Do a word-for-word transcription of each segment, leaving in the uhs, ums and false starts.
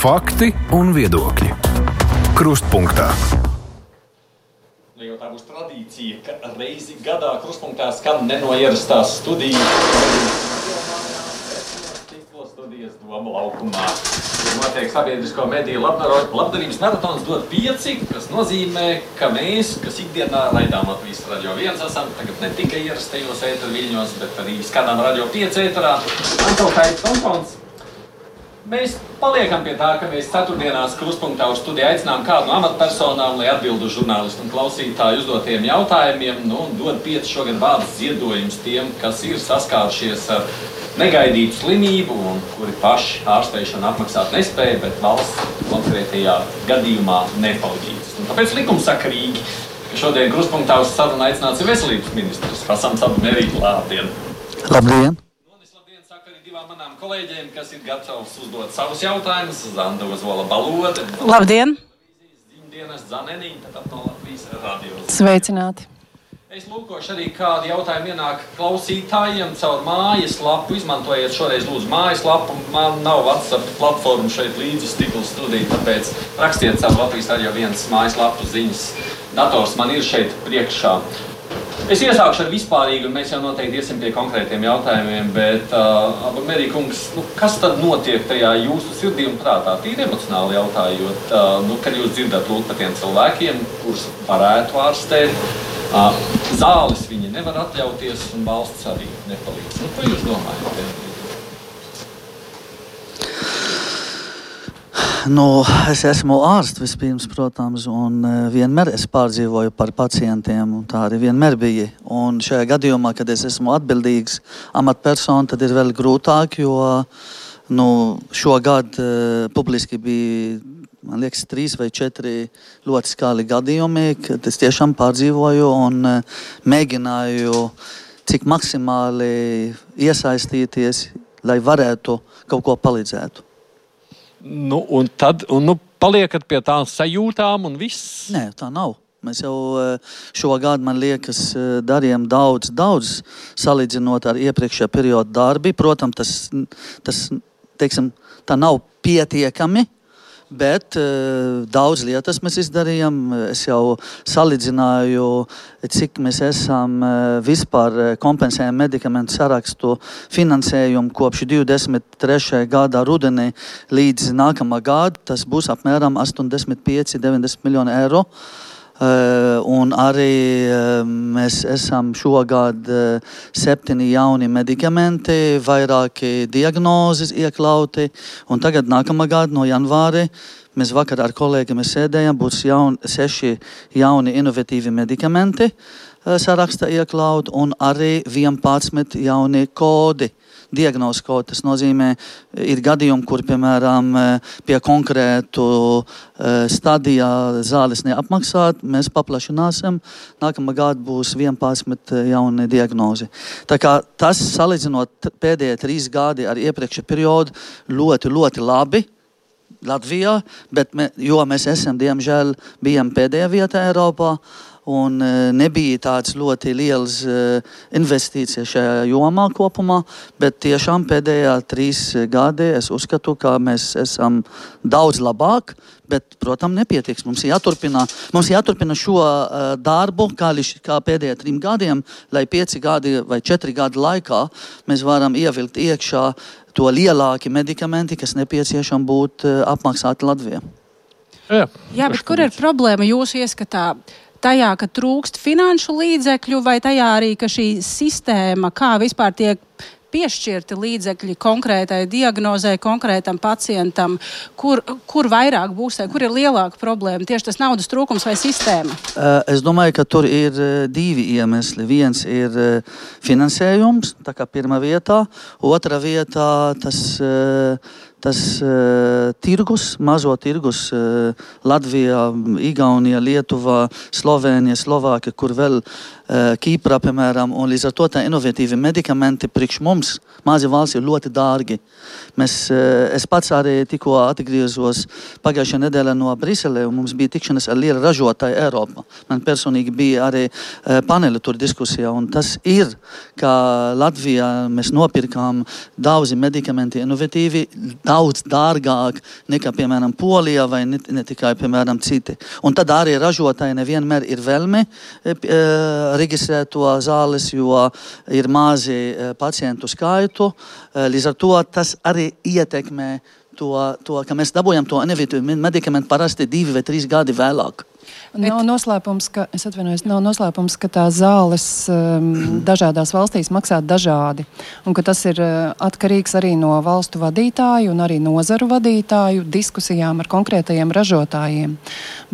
Fakti un viedokļi. Krustpunktā. Jo tā būs tradīcija, ka reizi gadā Krustpunktā skan nenoierastās studijas. Tiklo studijas Doma laukumā. Notiek sabiedrisko mediju labdarības maratons dod pieci, kas nozīmē, ka mēs, kas ikdienā raidām Latvijas Radio viens esam, tagad ne tikai ierastajos ēteru viļņos, bet arī skanām Radio pieci ēterā. Antokaits Tompons. Mēs paliekam pie tā, ka mēs ceturtdienās Krustpunktā uz studiju aicinām kādu no amatpersonām, lai atbildu žurnālistu un klausītāju uzdotiem jautājumiem, nu, un dod pieci šogad vārdas ziedojums tiem, kas ir saskārušies ar negaidītu slimību un kuri paši ārsteišanu apmaksāt nespēja, bet valsts konkrētajā gadījumā nepalīdz. Un tāpēc likumsakarīgi, ka šodien Krustpunktā uz sarunu aicināts ir veselības ministrs Hasans Abdumerī. Labdien! Labdien! Manām kolēģiem, kas ir gatavs uzdot savus jautājumus, Zanda Ozola Balode. Labdien! Dienas Zanenīņa, tad no Latvijas Radio. Sveicināti! Es lūkošu arī, kādi jautājumi ienāk klausītājiem caur mājas lapu. Izmantojiet šoreiz lūdzu mājas lapu. Man nav WhatsApp platforma šeit līdzi Stikla studija, tāpēc rakstiet caur Latvijas Radio viens mājas lapu ziņas. Dators man ir šeit priekšā. Es iesākšu ar vispārīgu, un mēs jau noteikti iesim pie konkrētiem jautājumiem, bet, uh, Abdumerī kungs, nu, kas tad notiek tajā jūsu sirdī un prātā? Tīri emocionāli jautājot, uh, nu, kad jūs dzirdat lūk par tiem cilvēkiem, kurus varētu ārstēt, uh, zāles viņi nevar atļauties, un valsts arī nepalīdz. Nu, ko jūs domājat? Nu, es esmu ārsts vispirms, protams, un vienmēr es pārdzīvoju par pacientiem, un tā arī vienmēr bija. Un šajā gadījumā, kad es esmu atbildīgs amatpersona, tad ir vēl grūtāk, jo nu, šogad uh, publiski bija, man liekas, trīs vai četri ļoti skali gadījumi, kad es tiešām pārdzīvoju un uh, mēģināju, cik maksimāli iesaistīties, lai varētu kaut ko palīdzēt. Nu, un tad, un, nu, paliekat pie tām sajūtām un viss? Nē, tā nav. Mēs jau šogad, man liekas, darījām daudz, daudz salīdzinot ar iepriekšējā perioda darbi. Protams, tas, tas, teiksim, tā nav pietiekami, bet uh, daudz lietas mēs izdarījām. Es jau salīdzināju, cik mēs esam uh, vispār kompensējam medikamentu sarakstu finansējumu kopš divdesmit trešā gada rudenī līdz nākamā gada. Tas būs apmēram astoņdesmit pieci līdz deviņdesmit miljoni eiro. Uh, un arī uh, mēs esam šogad uh, septiņi jauni medikamenti, vairāki diagnozes iekļauti, un tagad nākamā gada no janvāra mēs vakar ar kolēģiem sēdējām, būs jaun, seši jauni inovatīvi medikamenti uh, sarakstā iekļaut, un arī vienpadsmit jauni kodi. Diagnozes kods, tas nozīmē, ir gadījumi, kur, piemēram, pie konkrētu stadijā zāles neapmaksāt, mēs paplašināsim, nākamā gada būs vienpadsmit jauni diagnozi. Tā kā tas, salīdzinot pēdējie trīs gadi ar iepriekšējo periodu, ļoti, ļoti labi Latvijā, bet me, jo mēs esam, diemžēl, bijām pēdējā vietā Eiropā, un nebija tāds ļoti liels investīcijas šajā jomā kopumā, bet tiešām pēdējā trīs gadi es uzskatu, ka mēs esam daudz labāk, bet, protams, nepietiks. Mums jāturpina, mums jāturpina šo uh, darbu, kā, kā pēdējā trim gadiem, lai pieci gadi vai četri gadi laikā mēs varam ievilkt iekšā to lielāki medikamenti, kas nepieciešami būt uh, apmaksāti Latvijā. Jā, Jā bet kur ir problēma jūsu ieskatā? Tajā, ka trūkst finanšu līdzekļu, vai tajā arī, ka šī sistēma, kā vispār tiek piešķirti līdzekļi konkrētai diagnozē, konkrētam pacientam, kur, kur vairāk būs, kur ir lielāka problēma? Tieši tas naudas trūkums vai sistēma? Es domāju, ka tur ir divi iemesli. Viens ir finansējums, tā kā pirmā vietā. Otra vietā tas, tas tirgus, mazo tirgus Latvijā, Igaunija, Lietuva, Slovēnija, Slovākija, kur vēl Kīprā, piemēram, un līdz ar to tā inovatīvi medikamenti priekš mums, mazi valsts, ir ļoti dārgi. Mēs, es pats arī tikko atgriezos pagājušajā nedēļā no Briselē, un mums bija tikšanās ar lielu ražotāju Eiropā. Man personīgi bija arī paneli tur diskusijā, un tas ir, ka Latvijā mēs nopirkām daudzi medikamenti inovatīvi, daudz dārgāk nekā, piemēram, Polijā vai ne, ne tikai, piemēram, citi. Un tad arī ražotāji nevienmēr ir vēlme e, reģistrēt to zāles, jo ir mazi e, pacientu skaitu. E, līdz ar to tas arī ietekmē to, to ka mēs dabūjam to inovatīvu medikamentu parasti divi vai trīs gadi vēlāk. Nav noslēpums, ka, es atvainojos, nav noslēpums, ka tā zāles um, dažādās valstīs maksā dažādi, un ka tas ir uh, atkarīgs arī no valstu vadītāju un arī nozaru vadītāju diskusijām ar konkrētajiem ražotājiem.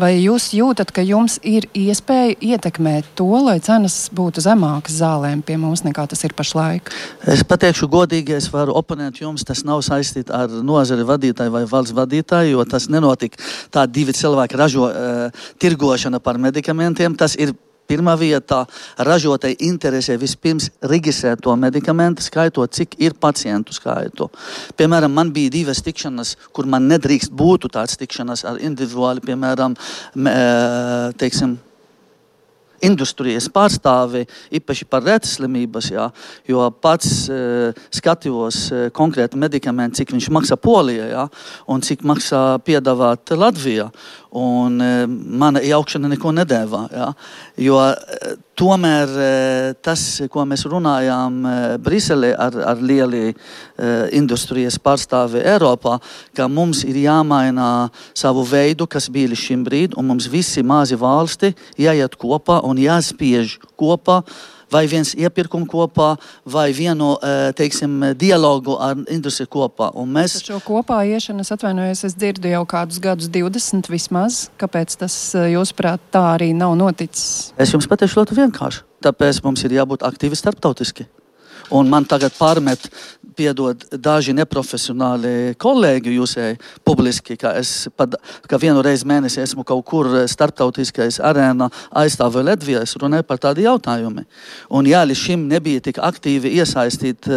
Vai jūs jūtat, ka jums ir iespēja ietekmēt to, lai cenas būtu zemākas zālēm pie mums nekā tas ir pašlaik? Es pateikšu godīgi, es varu oponēt jums, tas nav saistīts ar nozari vadītāju vai valsts vadītāju, jo tas nenotika tā divi cilvēki ražo uh, tirgošana par medikamentiem. Tas ir pirmā vietā ražotāji interesē vispirms reģistrēt to medikamentu, skaitot, cik ir pacientu skaitu. Piemēram, man bija divas tikšanas, kur man nedrīkst būtu tāds tikšanas ar individuāli, piemēram, teiksim, industrijas pārstāvi, īpaši par retas slimības, jā, jo pats e, skatījos e, konkrēti medikamenti, cik viņš maksā Polijā, jā, un cik maksā piedāvāt Latvijā. Un e, mana iejaukšana neko nedēvā, jā, jo e, tomēr e, tas, ko mēs runājām e, Briselē ar, ar lieli e, industrijas pārstāvi Eiropā, ka mums ir jāmaina savu veidu, kas bija līdz šim brīd, un mums visi mazi valsti jāiet kopā un jāspiež kopā, vai viens iepirkumu kopā, vai vienu, teiksim, dialogu ar industriju kopā. Un mēs... Šo kopā iešanu, es atvainojos, es dzirdu jau kādus gadus divdesmit vismaz. Kāpēc tas, jūsuprāt, tā arī nav noticis? Es jums pateikšu ļoti vienkārši. Tāpēc mums ir jābūt aktīvi starptautiski. Un man tagad pārmet, piedod daži neprofesionāli kolēģi jūsēji publiski, ka es pad, ka vienu reizi mēnesi esmu kaut kur starptautiskais arēnā aizstāvu Latvijā, es runāju par tādu jautājumu. Un jā, līdz šim nebija tik aktīvi iesaistīt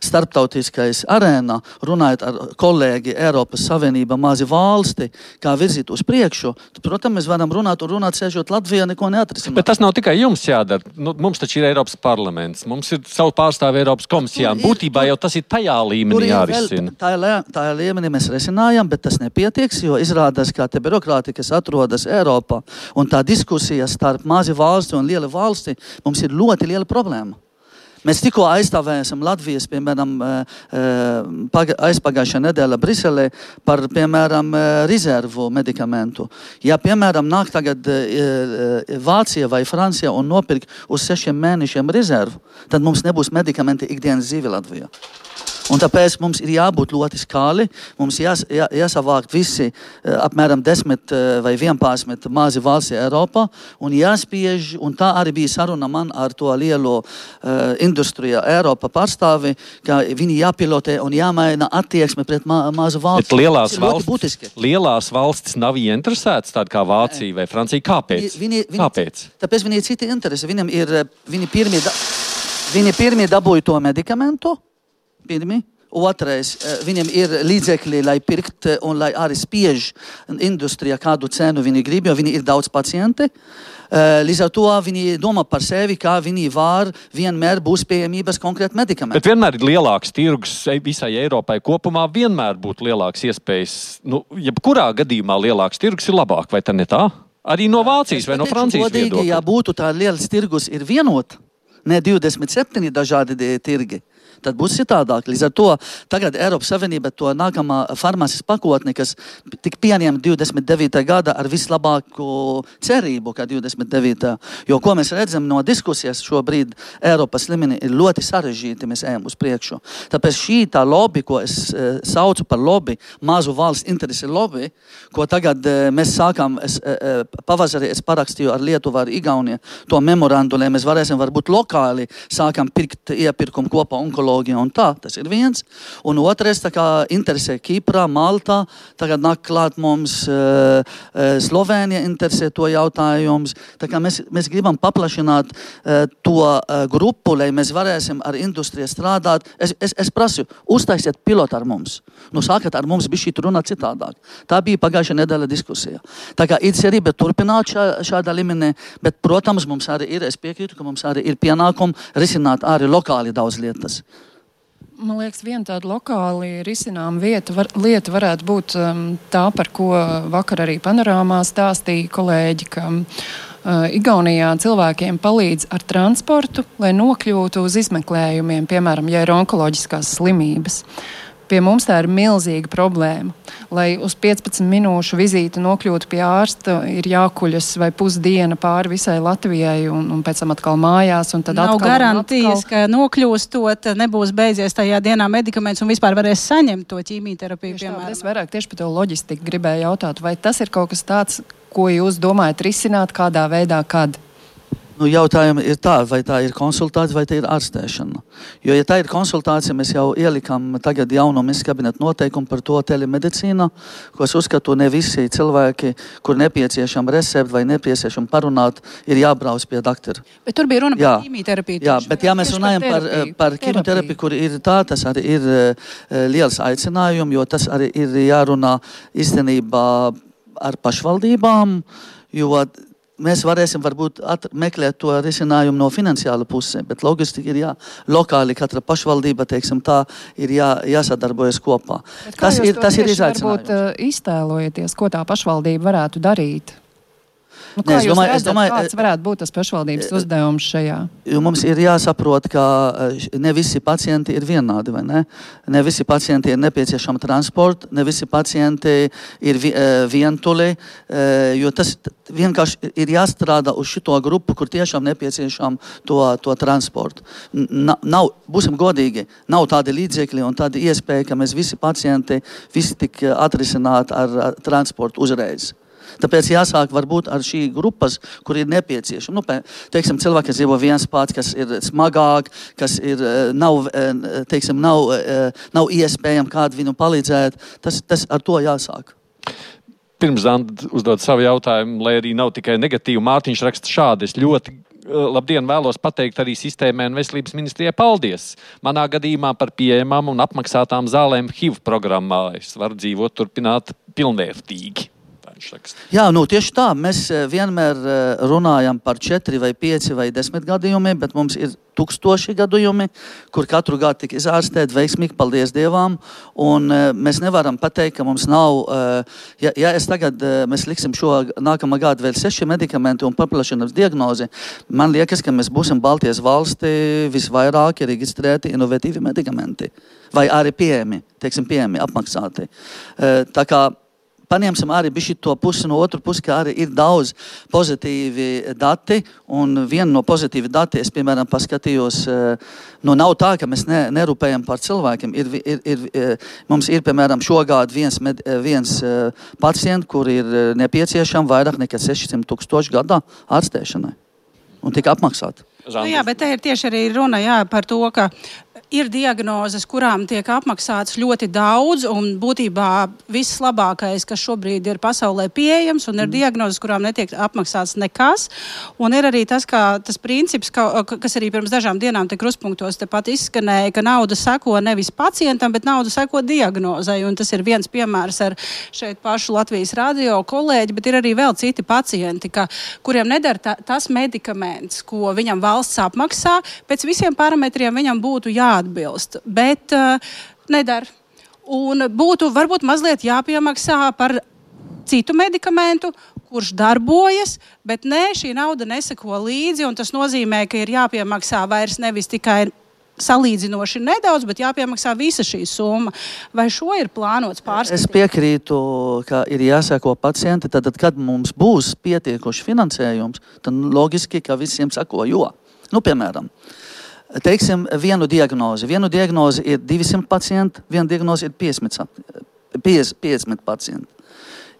starptautiskais arēnā, runājot ar kolēģi Eiropas Savienība mazi valsti, kā virzīt uz priekšu. Protams, mēs varam runāt un runāt, sēžot Latvijā, neko neatrisināt. Bet tas nav tikai jums jādara. Nu, mums taču ir Eiropas parlaments, mums ir savu pārstāvi Eiropas komisijām. Būtībā jau tas ir tajā līmenī jārisina. Tā ir līmenī mēs risinājam, bet tas nepietieks, jo izrādās, ka te birokrāti, kas atrodas Eiropā, un tā diskusija starp mazi valsti un liela valsti, mums ir ļoti liela problēma. Mēs tikko aizstāvējam Latvijas, piemēram, aizpagājušā nedēļa Briselē par, piemēram, rezervu medikamentu. Ja, piemēram, nāk tagad Vācija vai Francija un nopirk uz sešiem mēnešiem rezervu, tad mums nebūs medikamenti ikdienas dzīve Latvijā. Un tāpēc mums ir jābūt ļoti skāli, mums jās, jā, jāsavākt visi apmēram desmit vai vienpadsmit mazi valsts Eiropā un jāspiež, un tā arī bija saruna man ar to lielo uh, industriju Eiropa pārstāvi, ka viņi jāpilotē un jāmaina attieksme pret ma mazu valsts. Bet lielās valstis, lielās valstis nav ieinteresētas, tāda kā Vācija vai Francija. Kāpēc? Viņi, viņi, Kāpēc? Tāpēc viņi ir citi interesi. Viņam ir, viņi pirmie, da, viņi pirmie dabūja to medikamentu, pirmi. Otrais, viņiem ir līdzekļi, lai pirkt un lai arī spiež industrijā kādu cenu viņi grib, jo viņi ir daudz pacienti. Līdz ar to viņi domā par sevi, kā viņi var vienmēr būs pieejamības konkrēti medikamenti. Bet vienmēr ir lielāks tirgus visai Eiropai kopumā, vienmēr būtu lielāks iespējas. Nu, jebkurā gadījumā lielāks tirgus ir labāk, vai tā ne tā? Arī no Vācijas vai no Francijas viedokļa. Ja būtu tā liels tirgus ir vienot, ne divdesmit septiņi dažādi tirgi, tad būs citādāk. Līdz ar to tagad Eiropas Savienība to nākamā farmācijas pakotni, kas tik pieņem divdesmit devītā gada ar vislabāku cerību, kā divdesmit devītā. Jo, ko mēs redzam no diskusijas šobrīd Eiropas līmenī, ir ļoti sarežģīti, mēs ejam uz priekšu. Tāpēc šī tā lobby, ko es e, saucu par lobby, mazu valsts interesi lobby, ko tagad e, mēs sākam, es, e, pavasarī es parakstīju ar Lietuvu, ar Igauniju to memorandu, lai mēs varēsim varbūt lokāli sākam pirkt iepirkumu kopā onkoloģiju un tā, tas ir viens. Un otrais, tā kā interesē Kiprā, Maltā, tagad nāk klāt mums uh, uh, Slovēnija interesē to jautājums. Tā kā mēs, mēs gribam paplašināt uh, to uh, grupu, lai mēs varēsim ar industriju strādāt. Es, es, es prasu, uztaisiet pilotu ar mums. Nu, sākat ar mums bišķīt runāt citādāk. Tā bija pagājušā nedēļa diskusija. Tā kā ir cerība turpināt šā, šādā līmenī, bet, protams, mums arī ir, es piekrītu, ka mums arī ir pienākumi risināt arī lokāli daudz lietas. Man liekas, viena tāda lokāli risinām vieta, var, lieta varētu būt um, tā, par ko vakar arī panorāmā stāstīja kolēģi, ka uh, Igaunijā cilvēkiem palīdz ar transportu, lai nokļūtu uz izmeklējumiem, piemēram, ja ir onkoloģiskās slimības. Pie mums tā ir milzīga problēma. Lai uz piecpadsmit minūšu vizīti nokļūtu pie ārsta, ir jākuļas vai pusdiena pāri visai Latvijai un, un pēc tam atkal mājās. Un tad nav atkal, garantijas, atkal... ka nokļūstot nebūs beidzies tajā dienā medikaments un vispār varēs saņemt to ķīmijterapiju, piemēram. Es vairāk tieši par to loģistiku gribēju jautāt, vai tas ir kaut kas tāds, ko jūs domājat risināt, kādā veidā, kad? Nu, jautājumi ir tā, vai tā ir konsultācija, vai tā ir ārstēšana. Jo, ja tā ir konsultācija, mēs jau ielikam tagad jauno ministra kabineta noteikumu par to telemedicīnu, ko es uzskatu, ne visi cilvēki, kur nepieciešam recepti vai nepieciešam parunāt, ir jābrauc pie doktora. Bet tur bija runa jā. par ķīmijterapiju. Jā, bet ja mēs runājam par, par ķīmijterapiju, kur ir tā, tas arī ir uh, liels aicinājums, jo tas arī ir jārunā īstenībā ar pašvaldībām, jo mēs varēsim varbūt meklēt to risinājumu no finansiāla pusē, bet logistika ir jā, lokāli katra pašvaldība, teiksim, tā ir jā, jāsadarbojas kopā. Tas ir, tas ir izaicinājums. Varbūt iztēlojaties, ko tā pašvaldība varētu darīt? Nu, kā ne, es jūs domāju, redzat, es domāju, kāds varētu būt tas pašvaldības uzdevums šajā? Mums ir jāsaprot, ka ne visi pacienti ir vienādi, vai ne? Ne visi pacienti ir nepieciešama transporta, ne visi pacienti ir vientuli, jo tas vienkārši ir jāstrādā uz šito grupu, kur tiešām nepieciešam to, to transportu. Nav, būsim godīgi, nav tādi līdzekļi un tādi iespēja, ka mēs visi pacienti visi tik atrisināt ar, ar transportu uzreiz. Tāpēc jāsāk varbūt ar šī grupas, kur ir nepieciešama. Nu, teiksim, cilvēki, kas dzīvo viens pats, kas ir smagāk, kas ir, nav, teiksim, nav, nav iespējami kādu viņu palīdzēt, tas, tas ar to jāsāk. Pirms Zanda uzdod savu jautājumu, lai arī nav tikai negatīvu, Mārtiņš raksta šādi. Es ļoti labdien vēlos pateikt arī sistēmai un veselības ministrijai paldies. Manā gadījumā par pieejamām un apmaksātām zālēm H I V programmā. Es varu dzīvot, turpināt pilnvērtīgi. Jā, nu tieši tā. Mēs vienmēr runājam par četri vai pieci vai desmit gadījumiem, bet mums ir tūkstoši gadījumi, kur katru gadu tika izārstēt veiksmīgi, paldies Dievam. Un mēs nevaram pateikt, ka mums nav, ja, ja es tagad, mēs liksim šo nākamā gadu vēl seši medikamenti un paplašinās diagnozi, man liekas, ka mēs būsim Baltijas valsti visvairāk reģistrēti inovatīvi medikamenti. Vai arī pieejami, teiksim, pieejami, apmaksāti. Tā kā paņemsim arī bišķi to pusi no otru pusi, ka arī ir daudz pozitīvi dati, un viena no pozitīvi dati, es, piemēram, paskatījos, nu, nav tā, ka mēs ne, nerūpējam par cilvēkiem. Ir, ir, ir, mums ir, piemēram, šogad viens, med, viens pacients, kur ir nepieciešama vairāk nekā sešsimt tūkstoši gadā ārstēšanai, un tika apmaksāt. Nu, jā, bet te ir tieši arī runa jā, par to, ka ir diagnozes, kurām tiek apmaksāts ļoti daudz, un būtībā viss labākais, kas šobrīd ir pasaulē pieejams, un ir diagnozes, kurām netiek apmaksāts nekas. Un ir arī tas, kā, tas princips, ka, kas arī pirms dažām dienām te krustpunktos tepat izskanēja, ka nauda seko nevis pacientam, bet nauda seko diagnozei. Un tas ir viens piemērs ar šeit pašu Latvijas radio kolēģi, bet ir arī vēl citi pacienti, ka, kuriem nedara ta, tas medikaments, ko viņam valsts apmaksā, pēc visiem parametriem viņam būtu jā atbilst, bet uh, nedara. Un būtu varbūt mazliet jāpiemaksā par citu medikamentu, kurš darbojas, bet nē, šī nauda neseko līdzi, un tas nozīmē, ka ir jāpiemaksā vairs nevis tikai salīdzinoši nedaudz, bet jāpiemaksā visa šī summa. Vai šo ir plānots pārskatīt? Es piekrītu, ka ir jāseko pacienti, tad, kad mums būs pietiekoši finansējums, tad logiski, ka visiem seko, jo, nu, piemēram, teiksim, vienu diagnozi. Vienu diagnozi ir divsimt pacienti, viena diagnozi ir piecdesmit pacienti.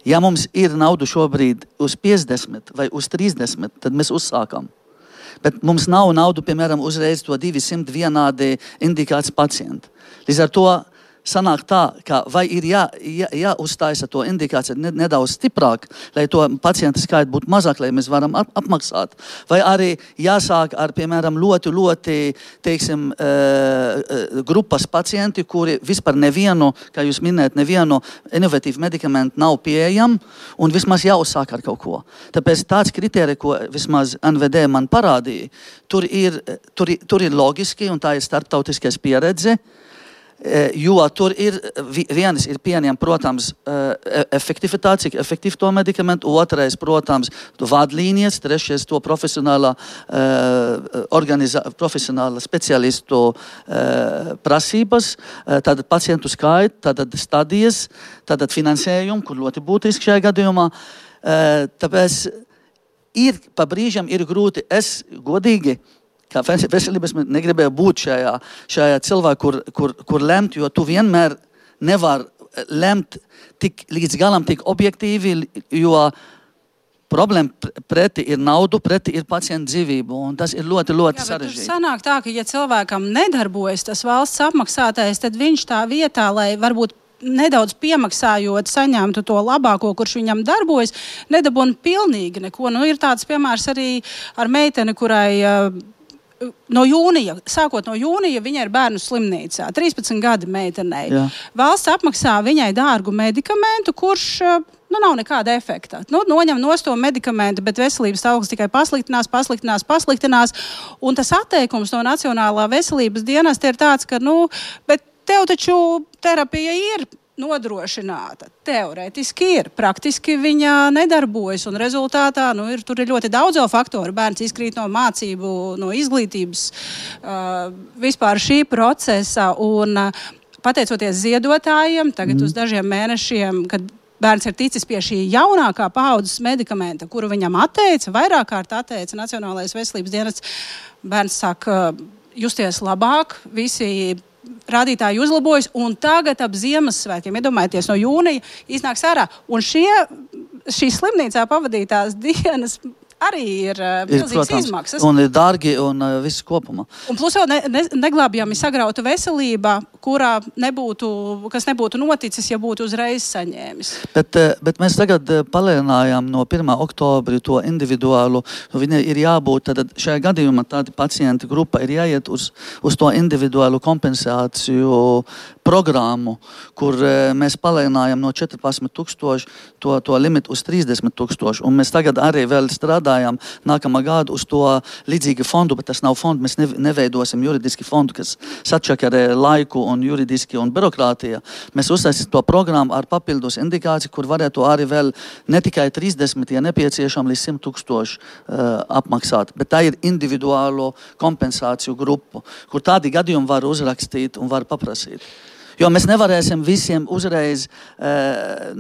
Ja mums ir naudu šobrīd uz piecdesmit vai uz trīsdesmit, tad mēs uzsākam. Bet mums nav naudu, piemēram, uzreiz to divsimt vienādi indikācijas pacienti. Līdz ar to sanāk tā, ka vai ir jā, jā, jāuztaisa to indikāciju nedaudz stiprāk, lai to pacienta skaita būtu mazāk, lai mēs varam ap apmaksāt. Vai arī jāsāk ar, piemēram, ļoti, ļoti, teiksim, uh, grupas pacienti, kuri vispār nevienu, kā jūs minējat, nevienu inovatīvu medikamentu nav pieejam, un vismaz jāuzsāk ar kaut ko. Tāpēc tāds kriterija, ko vismaz N V D man parādīja, tur ir, tur, tur ir logiski, un tā ir starptautiskais pieredze, Jo tur ir vienas ir pieņem, protams, efektivitāte, cik efektīvi to medikamentu, otrais, protams, vadlīnijas, trešais to profesionālā, organizā, profesionālā speciālistu prasības, tad pacientu skaitu, tad stadijas, tad finansējumu, kur ļoti būtiski šajā gadījumā. Tāpēc ir, pa brīžam ir grūti, es godīgi, kā veselības negribēju būt šajā, šajā cilvēku, kur, kur, kur lemt, jo tu vienmēr nevar lemt tik, līdz galam tik objektīvi, jo problēma preti ir naudu, preti ir pacientu dzīvību, un tas ir ļoti, ļoti Jā, sarežģīti. Jā, sanāk tā, ka ja cilvēkam nedarbojas tas valsts apmaksātais, tad viņš tā vietā, lai varbūt nedaudz piemaksājot, saņemtu to labāko, kurš viņam darbojas, nedabūna pilnīgi neko. Nu, ir tāds piemērs arī ar meiteni, kurai no jūnija, sākot no jūnija, viņai ir bērnu slimnīcā. trīspadsmit gadi meitenei. Jā. Valsts apmaksā viņai dārgu medikamentu, kurš nu, nav nekāda efekta. Nu, noņem nost to medikamentu, bet veselības stāvoklis tikai pasliktinās, pasliktinās, pasliktinās. Un tas atteikums no Nacionālā veselības dienesta ir tāds, ka, nu, bet tev taču terapija ir nodrošināta. Teorētiski ir. Praktiski viņa nedarbojas, un rezultātā nu, ir, tur ir ļoti daudz faktoru. Bērns izkrīt no mācību, no izglītības, uh, vispār šī procesa, un uh, pateicoties ziedotājiem, tagad mm. uz dažiem mēnešiem, kad bērns ir ticis pie šī jaunākā paaudzes medikamenta, kuru viņam atteica, vairāk kārt atteica Nacionālais veselības dienests, bērns sāk uh, justies labāk, visi rādītāji uzlabojas, un tagad ap Ziemassvētkiem, iedomājieties, no jūnija iznāks ārā. Un šie, šīs slimnīcā pavadītās dienas arī ir, ir milzīgas izmaksas. Un ir dārgi un uh, viss kopumā. Un plus vēl ne, ne, neglābjami sagrauta veselība, kurā nebūtu, kas nebūtu noticis, ja būtu uzreiz saņēmis. Bet, bet mēs tagad palielinājām no pirmā oktobra to individuālu, viņa ir jābūt, tad šajā gadījumā tāda pacienta grupa ir jāiet uz, uz to individuālu kompensāciju programmu, kur mēs palielinājām no četrpadsmit tūkstoši to, to limitu uz trīsdesmit tūkstoši. Un mēs tagad arī vēl strādājam nākamā gada uz to līdzīgu fondu, bet tas nav fondu, mēs neveidosim juridiski fondu, kas sačakarē laiku un juridiski un birokrātija. Mēs uzsāsim to programmu ar papildus indikāciju, kur varētu arī vēl ne tikai trīsdesmit, ja nepieciešam līdz simt tūkstoši uh, apmaksāt, bet tā ir individuālo kompensāciju grupu, kur tādi gadījumi var uzrakstīt un var paprasīt. Jo mēs nevarēsim visiem uzreiz, uh,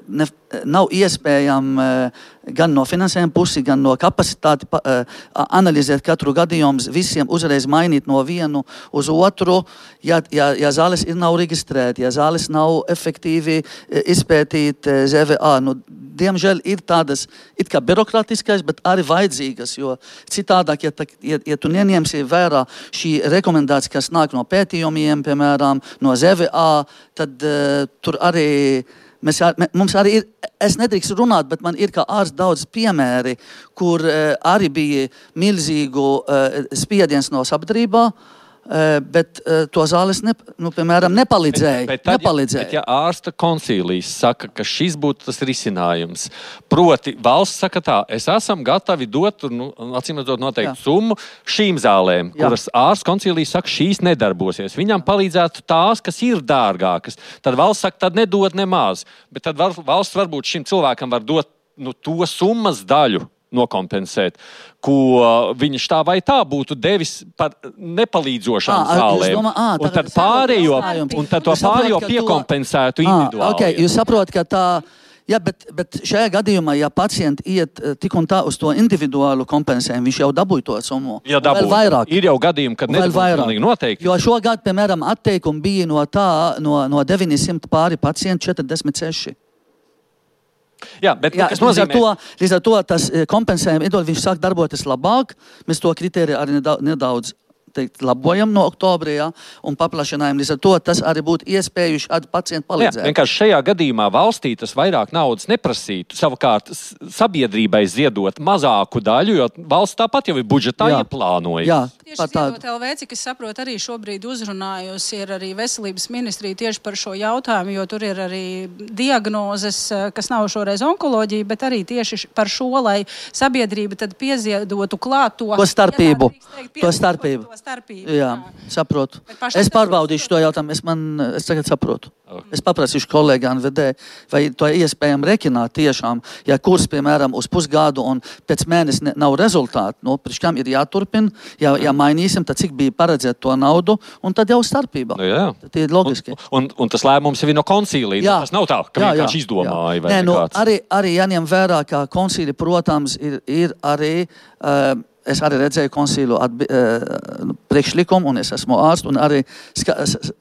ne, nav iespējami uh, gan no finansējuma pusi, gan no kapacitāti uh, analizēt katru gadījumu, visiem uzreiz mainīt no vienu uz otru, ja, ja, ja zāles ir nav reģistrēti, ja zāles nav efektīvi izpētīt Z V A. Nu, diemžēl ir tādas it kā birokrātiskais, bet arī vajadzīgas, jo citādāk, ja, ja, ja tu neņemsi vērā šī rekomendācija, kas nāk no pētījumiem, piemēram, no Z V A, tad uh, tur arī mēs, mums arī ir, es nedrīkstu runāt, bet man ir kā ārsts daudz piemēri, kur uh, arī bija milzīgu uh, spiediens no sabiedrībā, Uh, bet uh, to zāles, ne, nu, piemēram, nepalīdzēja. Bet, bet, tad, nepalīdzēja. bet ja ārsta koncīlijas saka, ka šis būtu tas risinājums, proti valsts saka tā, es esam gatavi dot, nu, acīm redzot noteikti summu šīm zālēm, Jā. kuras ārsta koncīlijas saka, šīs nedarbosies. Viņam palīdzētu tās, kas ir dārgākas. Tad valsts saka, tad nedod nemaz. Bet tad valsts varbūt šim cilvēkam var dot nu, to summas daļu, nokompensēt, ko viņš tā vai tā būtu devis par nepalīdzošām à, zālēm. Domā, à, un tad pārējo, un tad to pārējo piekompensētu individuāli. À, okay, jūs saprotat, ka tā, jā, bet, bet šajā gadījumā, ja pacienti iet tik un tā uz to individuālu kompensējumu, viņš jau dabūja to summu. Jā, dabūja. Ir jau gadījumi, kad nedabūja noteikti. Jo šogad, piemēram, atteikumi bija no tā, no, no deviņsimt pāri pacienti četrdesmit seši. Jā, bet Jā, kas nozīmē? Līdz ar to, līdz ar to tas kompensējuma iedod, viņš sāk darboties labāk. Mēs to kritēriju arī nedaudz, nedaudz teikt, labojam no oktobra, ja, un paplašinājam. Līdz ar to tas arī būtu iespējuši šādu pacientu palīdzēt. Jā, vienkārši šajā gadījumā valstī tas vairāk naudas neprasītu. Savukārt sabiedrībai ziedot mazāku daļu, jo valsts tāpat jau ir budžetā ieplānojusi. Jā. par tādu. Tieši L V, cik es saprotu, arī šobrīd uzrunājusi ir arī veselības ministrija tieši par šo jautājumu, jo tur ir arī diagnozes, kas nav šoreiz onkoloģija, bet arī tieši par šo, lai sabiedrība tad pieziedotu klāt to, to starpību. Teikt, to starpību. To starpību. Jā, jā, saprotu. Es pārbaudīšu to jautājumu, es, man, es tagad saprotu. Okay. Es paprasīšu kolēģi N V D, vai to iespējami rekināt tiešām, ja kurs, piemēram, uz pusgadu un pēc mēnesi ne, nav rezultāti, nu, priekš kam ir jāturpina, ja, ja mainīsim, tad cik bija paredzēt to naudu, un tad jau starpība. Nu, jā. Tad ir logiski. Un, un, un tas lēmums ir no konsīlija, jā. Tas nav tā, ka jā, vienkārši izdomāja vai Nē, nu, kāds. Arī, arī jāņem vērā, ka konsīli, protams, ir, ir arī... Uh, Es arī redzēju konsīlu atbi, uh, priekšlikumu, un es esmu ārsts, un arī ska,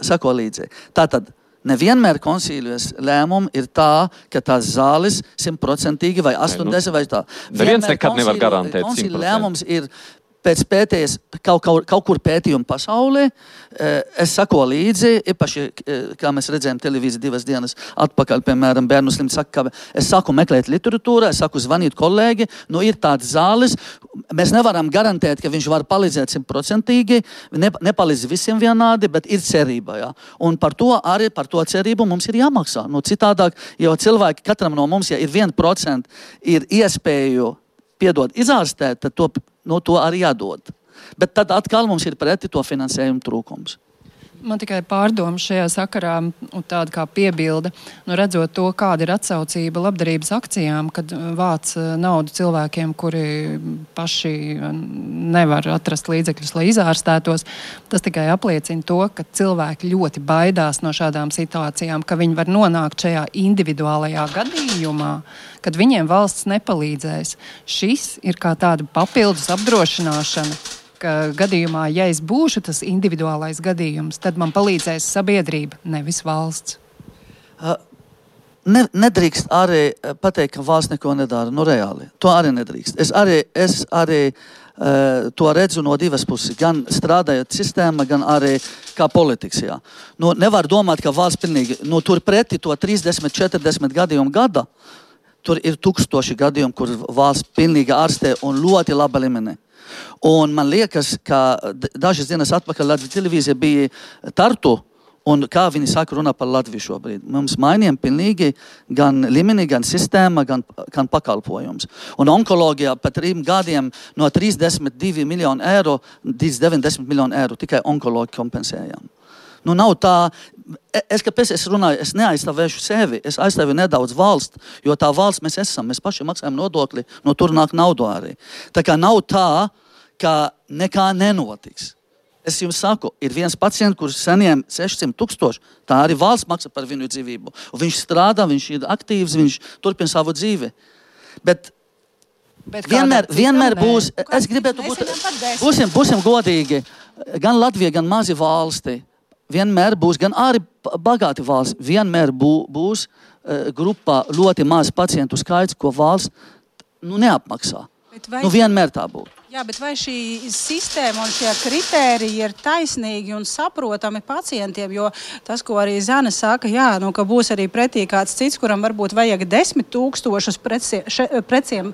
sako līdzi. Tātad, nevienmēr konsīlijas lēmumi ir tā, ka tās zāles simtprocentīgi vai astoņdesmit vai tā. Neviens nekad nevar garantēt simtprocentīgi. Konsīlija lēmums ir pēc pētējas kaut, kaut, kaut kur pētījuma pasaulē. Es sako līdzi, īpaši, kā mēs redzējām televīziju divas dienas atpakaļ, piemēram, bērnu slimts saka, ka es saku meklēt literatūrā, es saku zvanīt kolēģi, nu ir tādas zāles, mēs nevaram garantēt, ka viņš var palīdzēt simtprocentīgi, ne, nepalīdz visiem vienādi, bet ir cerība, jā. Un par to arī, par to cerību mums ir jāmaksā. Nu, citādāk, jo cilvēki, katram no mums, ja ir viens procents, ir iespēju piedod izārstēt, tad to, no to arī jādod. Bet tad atkal mums ir preti to finansējumu trūkums. Man tikai pārdoma šajā sakarā un tāda kā piebilde, nu redzot to, kāda ir atsaucība labdarības akcijām, kad vāc naudu cilvēkiem, kuri paši nevar atrast līdzekļus, lai izārstētos. Tas tikai apliecina to, ka cilvēki ļoti baidās no šādām situācijām, ka viņi var nonākt šajā individuālajā gadījumā, kad viņiem valsts nepalīdzēs. Šis ir kā tāda papildus apdrošināšana, ka gadījumā, ja es būšu tas individuālais gadījums, tad man palīdzēs sabiedrība, nevis valsts. Ne, nedrīkst arī pateikt, ka valsts neko nedara. Nu, reāli. To arī nedrīkst. Es arī, es arī uh, to redzu no divas puses. Gan strādājot sistēma, gan arī kā politikas. Jā. Nu, nevar domāt, ka valsts pilnīgi, nu, tur preti to trīsdesmit, četrdesmit gadījumu gada, tur ir tūkstoši gadījumu, kur valsts pilnīgi ārstē un ļoti laba līmenī. Un man liekas, ka dažas dienas atpakaļ Latvijas televīzija bija Tartu, un kā viņi saka runā par Latviju šobrīd. Mums mainījām pilnīgi gan līmeni, gan sistēma, gan, gan pakalpojums. Un onkoloģijā pat trim gadiem no trīsdesmit divi miljoni eiro, deviņdesmit miljoni eiro tikai onkoloģi kompensējām. Nu, nav tā, es, kāpēc es runāju, es neaizstāvēšu sevi, es aizstāvu nedaudz valsts, jo tā valsts mēs esam, mēs paši maksājam nodokli, no tur nāk naudu arī. Tā kā nav tā, ka nekā nenotiks. Es jums saku, ir viens pacients, kurš saņem sešsimt tūkstoši, tā arī valsts maksā par viņu dzīvību. Un viņš strādā, viņš ir aktīvs, viņš turpina savu dzīvi. Bet, Bet vienmēr, vienmēr būs, es gribētu būt, būsim, būsim godīgi, gan Latvija, gan mazi valsti. Vienmēr būs, gan arī bagāti valsts, vienmēr bū, būs uh, grupā ļoti maz pacientu skaits, ko valsts nu, neapmaksā. Nu, vienmēr tā būtu. Jā, bet vai šī sistēma un šie kritēriji ir taisnīgi un saprotami pacientiem? Jo tas, ko arī Zana saka, jā, nu, ka būs arī pretī kāds cits, kuram varbūt vajag desmit tūkstošus preciem,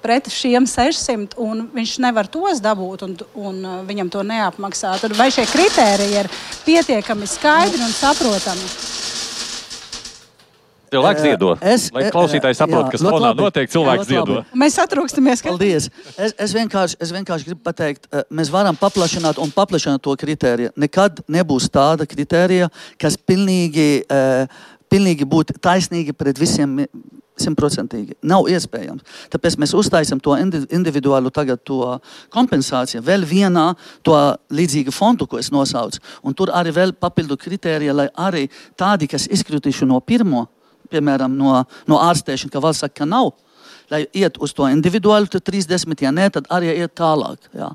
pret šiem sešsimt, un viņš nevar tos dabūt, un, un viņam to neapmaksā. Tad vai šie kritēriji ir pietiekami skaidri un saprotami? Cilvēks ziedo. Es, lai klausītāji saprot, kas fonā notiek, cilvēks ziedo. Mēs satrūkstamies. Ka... Paldies. Es, es, vienkārši, es vienkārši gribu pateikt, mēs varam paplašināt un paplašināt to kritēriju. Nekad nebūs tāda kritērija, kas pilnīgi, pilnīgi būtu taisnīgi pret visiem simtprocentīgi. Nav iespējams. Tāpēc mēs uztaisam to individuālu tagad to kompensāciju vēl vienā to līdzīgu fondu, ko es nosaucu. Un tur arī vēl papildu kritērija, lai arī tādi, kas izkritīšu no pirmo, piemēram, no, no ārstēšana, ka valsts saka, ka nav, lai iet uz to individuālu, tad trīsdesmit, ja ne, tad arī iet tālāk. Jā.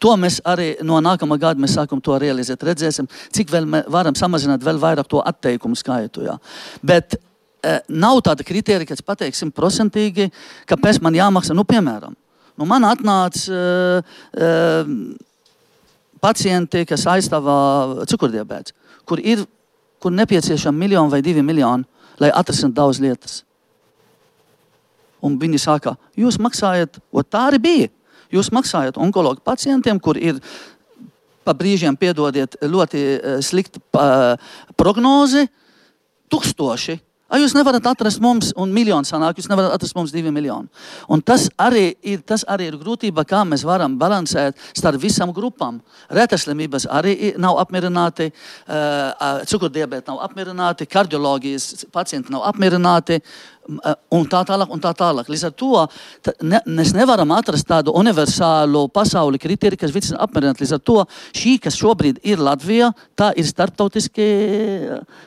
To mēs arī no nākamā gada mēs sākam to realizēt, redzēsim, cik vēl varam samazināt vēl vairāk to atteikumu skaitu. Jā. Bet e, nav tāda kritērija, kas pateiks simtprocentīgi, kāpēc man jāmaksā, nu, piemēram, nu, man atnāca e, e, pacienti, kas aizstāvā cukurdiabēts, kur ir, kur nepieciešama miljonu vai divi miljoni, lai atrasinātu daudz lietas. Un viņi saka, jūs maksājat, o tā arī bija, jūs maksājat onkologu pacientiem, kur ir pa brīžiem, piedodiet, ļoti uh, slikta uh, prognoze, tūkstoši. A, jūs nevarat atrast mums, un miljonu sanāk, jūs nevarat atrast mums divi miljoni. Un tas arī ir, tas arī ir grūtība, kā mēs varam balansēt starp visam grupām. Retaslimības arī nav apmierināti, uh, cukurdiabēti nav apmierināti, kardioloģijas pacienti nav apmierināti, uh, un tā tālāk, un tā tālāk. Līdz ar to tā, ne, mēs nevaram atrast tādu universālu pasauli kriteriju, kas visam apmierināti. Līdz ar to šī, kas šobrīd ir Latvijā, tā ir starptautiskie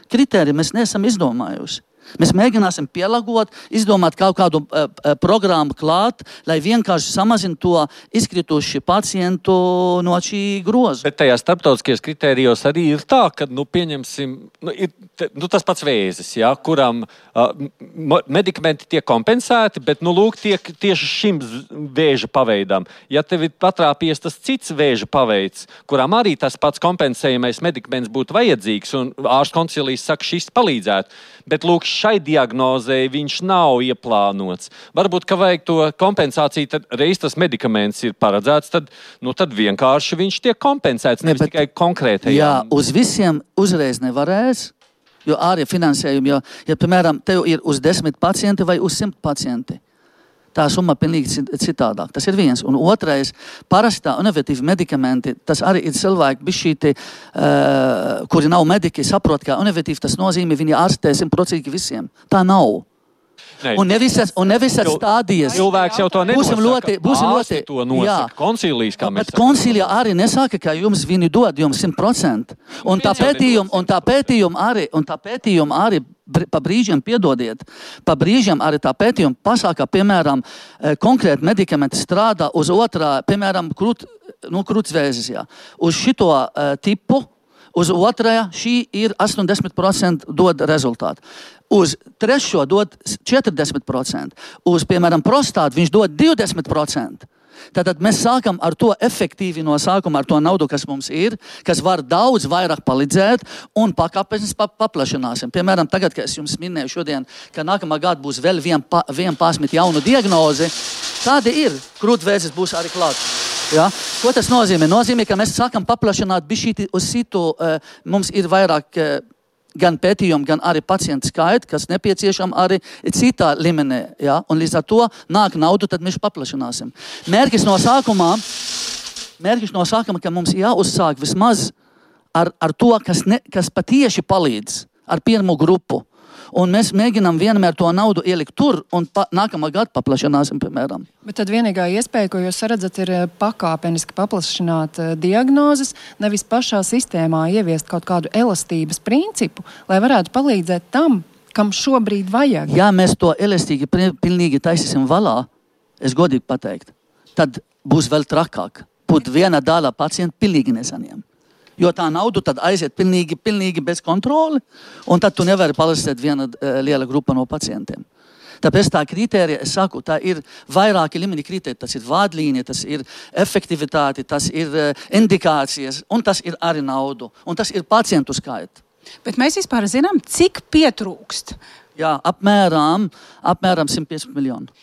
kriteriji. Mēs neesam izdomājuši. Mēs mēģināsim pielāgot, izdomāt kaut kādu uh, programmu klāt, lai vienkārši samazina to izkrituši pacientu no šī groza. Bet tajā starptautiskajos kritērijos arī ir tā, ka, nu, pieņemsim, nu, ir, te, nu, tas pats vēzis, ja, kuram uh, medikamenti tiek kompensēti, bet, nu, lūk, tiek tieši šim vēža paveidam. Ja tev ir patrāpies tas cits vēža paveids, kurām arī tas pats kompensējamais medikaments būtu vajadzīgs, un ārsts koncilijas saka, šis palīdzētu, bet, lūk, šai diagnozei viņš nav ieplānots. Varbūt, ka vajag to kompensāciju, tad reiz tas medikaments ir paredzēts, tad, nu, tad vienkārši viņš tiek kompensēts, nevis ne, tikai konkrētajām. Jā, uz visiem uzreiz nevarēs, jo arī finansējumi, jo, ja, piemēram, tev ir uz desmit pacienti vai uz simt pacienti. Tā summa pilnīgi citādāk. Tas ir viens. Un otrais, parastā inovatīvi medikamenti, tas arī ir cilvēki bišķīti, uh, kuri nav mediķi, saprot, ka inovatīvi tas nozīmē, viņi ārstē simtprocentīgi visiem. Tā nav. Ne. Un nevisas, un nevisas stādijas. Cilvēks jau to nenosaka. Būsim ļoti, būsim ļoti. To nosaka. Koncilijas, kā mēs sakām. Bet koncilija arī nesaka, ka jums viņi dod jums simt procenti. Un tā pētījuma, un tā pētījuma arī, un tā pētījuma arī pa brīžiem, piedodiet, pa brīžiem arī tā pētījuma pasaka, piemēram, konkrēti medikamenti strādā uz otrā, piemēram, krūt, nu, krūtsvēzis, jā. Uz šito uh, tipu, uz otrajā šī ir astoņdesmit procenti dod rezultātu. Uz trešo dod četrdesmit procenti. Uz, piemēram, prostātu viņš dod divdesmit procenti. Tātad mēs sākam ar to efektīvi no sākuma, ar to naudu, kas mums ir, kas var daudz vairāk palīdzēt, un pakāpeniski pa, paplašināsim. Piemēram, tagad, kad es jums minēju šodien, ka nākamā gada būs vēl vien, pa, vien pasmit jaunu diagnozi, tāda ir. Krūtvēzis būs arī klāt. Ja? Ko tas nozīmē? Nozīmē, ka mēs sākam paplašināt bišķīti uz citu, uh, mums ir vairāk uh, gan pētījumi, gan arī pacientu skaiti, kas nepieciešam arī citā līmenī. Ja? Un līdz ar to nāk naudu, tad mēs paplašināsim. Mērķis no sākumā, mērķis no sākuma, ka mums jāuzsāk vismaz ar, ar to, kas, ne, kas patieši palīdz, ar pirmo grupu. Un mēs mēģinām vienmēr to naudu ielikt tur, un pa, nākamā gada paplašināsim, piemēram. Bet tad vienīgā iespēja, ko jūs redzat, ir pakāpeniski paplašināt diagnozes, nevis pašā sistēmā ieviest kaut kādu elastības principu, lai varētu palīdzēt tam, kam šobrīd vajag. Ja mēs to elastīgi pilnīgi taisīsim valā, es godīgi pateikt, tad būs vēl trakāk. Būt viena daļa pacientu pilnīgi nesaņem. Jo tā naudu tad aiziet pilnīgi, pilnīgi bez kontroli, un tad tu nevari palīdzēt viena uh, liela grupa no pacientiem. Tāpēc tā kritērija, es saku, tā ir vairāki līmeņi kritērija. Tas ir vādlīnija, tas ir efektivitāte, tas ir uh, indikācijas, un tas ir arī naudu, un tas ir pacientu skaita. Bet mēs vispār zinām, cik pietrūkst? Jā, apmēram, apmēram simt piecdesmit miljonu.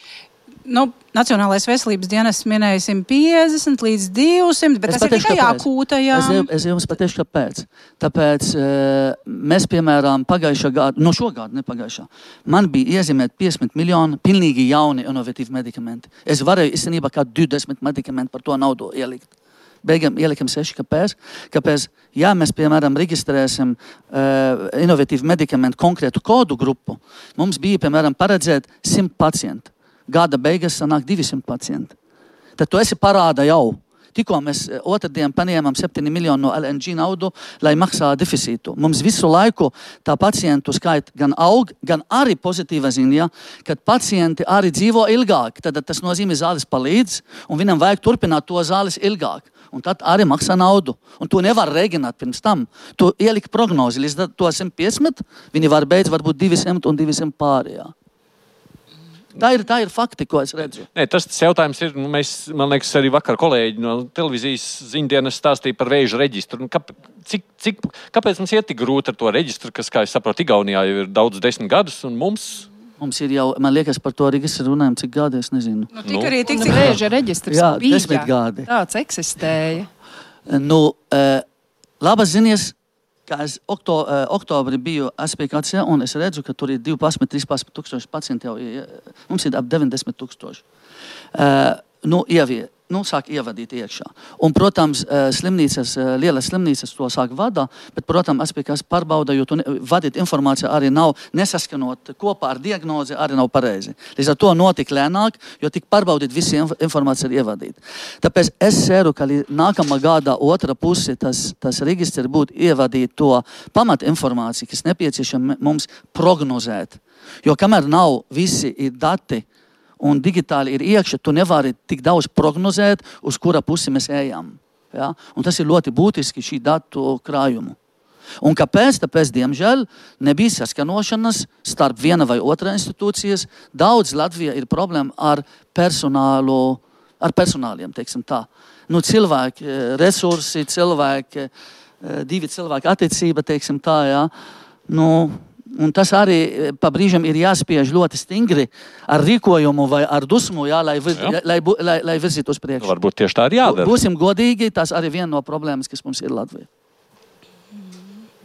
Nu, Nacionālais veselības dienests minēja simt piecdesmit līdz divsimt, bet es tas pateikšu, ir tikai akūtajā. Es, es jums pateikšu, kāpēc. Tāpēc mēs, piemēram, pagājušā gada, no šo gadu, ne pagājušā, man bija iezīmēt piecdesmit miljoni pilnīgi jauni inovatīvi medikamenti. Es varēju īstenībā kā divdesmit medikamenti par to naudu ielikt. Beigām ielikam seši, kāpēc? Kāpēc, ja mēs, piemēram, reģistrēsim uh, inovatīvu medikamentu konkrētu kodu grupu, mums bija, piemēram, paredzēt simt pacientu. Gada beigas sanāk divsimt pacienti. Tad tu esi parāda jau. Tikko mēs otrdien paņēmām septiņi miljoni no L N G naudu, lai maksā deficītu. Mums visu laiku tā pacientu skaita gan aug, gan arī pozitīva ziņa, kad pacienti arī dzīvo ilgāk. Tad tas nozīmē zāles palīdz, un viņam vajag turpināt to zāles ilgāk. Un tad arī maksā naudu. Un tu nevar rēģināt pirms tam. Tu ieliki prognozi līdz to simt piecdesmit, viņi var beidz varbūt divsimt un divsimt pārējā. Tā ir, tā ir fakti, ko es redzu. Nē, tas, tas jautājums ir, nu, mēs, man liekas, arī vakar kolēģi no televīzijas ziņdienas stāstīja par vēža reģistru. Nu, kāp, cik, cik, kāpēc mums iet tik grūti ar to reģistru, kas, kā es saprotu, Igaunijā jau ir daudz desmit gadus, un mums... Mums ir jau, man liekas, par to registru runājam, cik gadi, es nezinu. Nu, tik arī tik, cik vēža reģistrs jā, bija. desmit gadi. Tāds eksistēja. Nu, labas ziņas, ka es okto, oktobri biju S P K C, un es redzu, ka tur ir divpadsmit, trīspadsmit tūkstoši pacienti jau, mums ir ap deviņdesmit tūkstoši. Nu, ievie, nu, sāk ievadīt iekšā. Un, protams, slimnīcas, lielas slimnīcas to sāk vada, bet, protams, S P K pārbauda, jo tu ne, vadīt informāciju arī nav nesaskanot kopā ar diagnozi, arī nav pareizi. Līdz ar to notik lēnāk, jo tik pārbaudīt visi informācija ir ievadīt. Tāpēc es ceru, ka nākamā gada otra puse tas, tas registri būtu ievadīt to pamat informāciju, kas nepieciešama mums prognozēt. Jo kamēr nav visi ir dati, un digitāli ir iekšā, tu nevari tik daudz prognozēt, uz kura pusi mēs ejam. Ja? Un tas ir ļoti būtiski šī datu krājumu. Un kāpēc? Tāpēc, diemžēl, nebija saskanošanas starp viena vai otra institūcijas. Daudz Latvijā ir problēma ar personālu, ar personāliem, teiksim tā. Nu, cilvēki, resursi, cilvēki, divi cilvēki attiecība, teiksim tā, ja. Nu, un tas arī pa brīžam ir jāspiež ļoti stingri ar rīkojumu vai ar dusmu, jā, lai, vir, jā. lai, lai, lai virzītu uz priekšu. Varbūt tieši tā ir jādara. Būsim godīgi, tas arī viena no problēmas, kas mums ir Latvijā.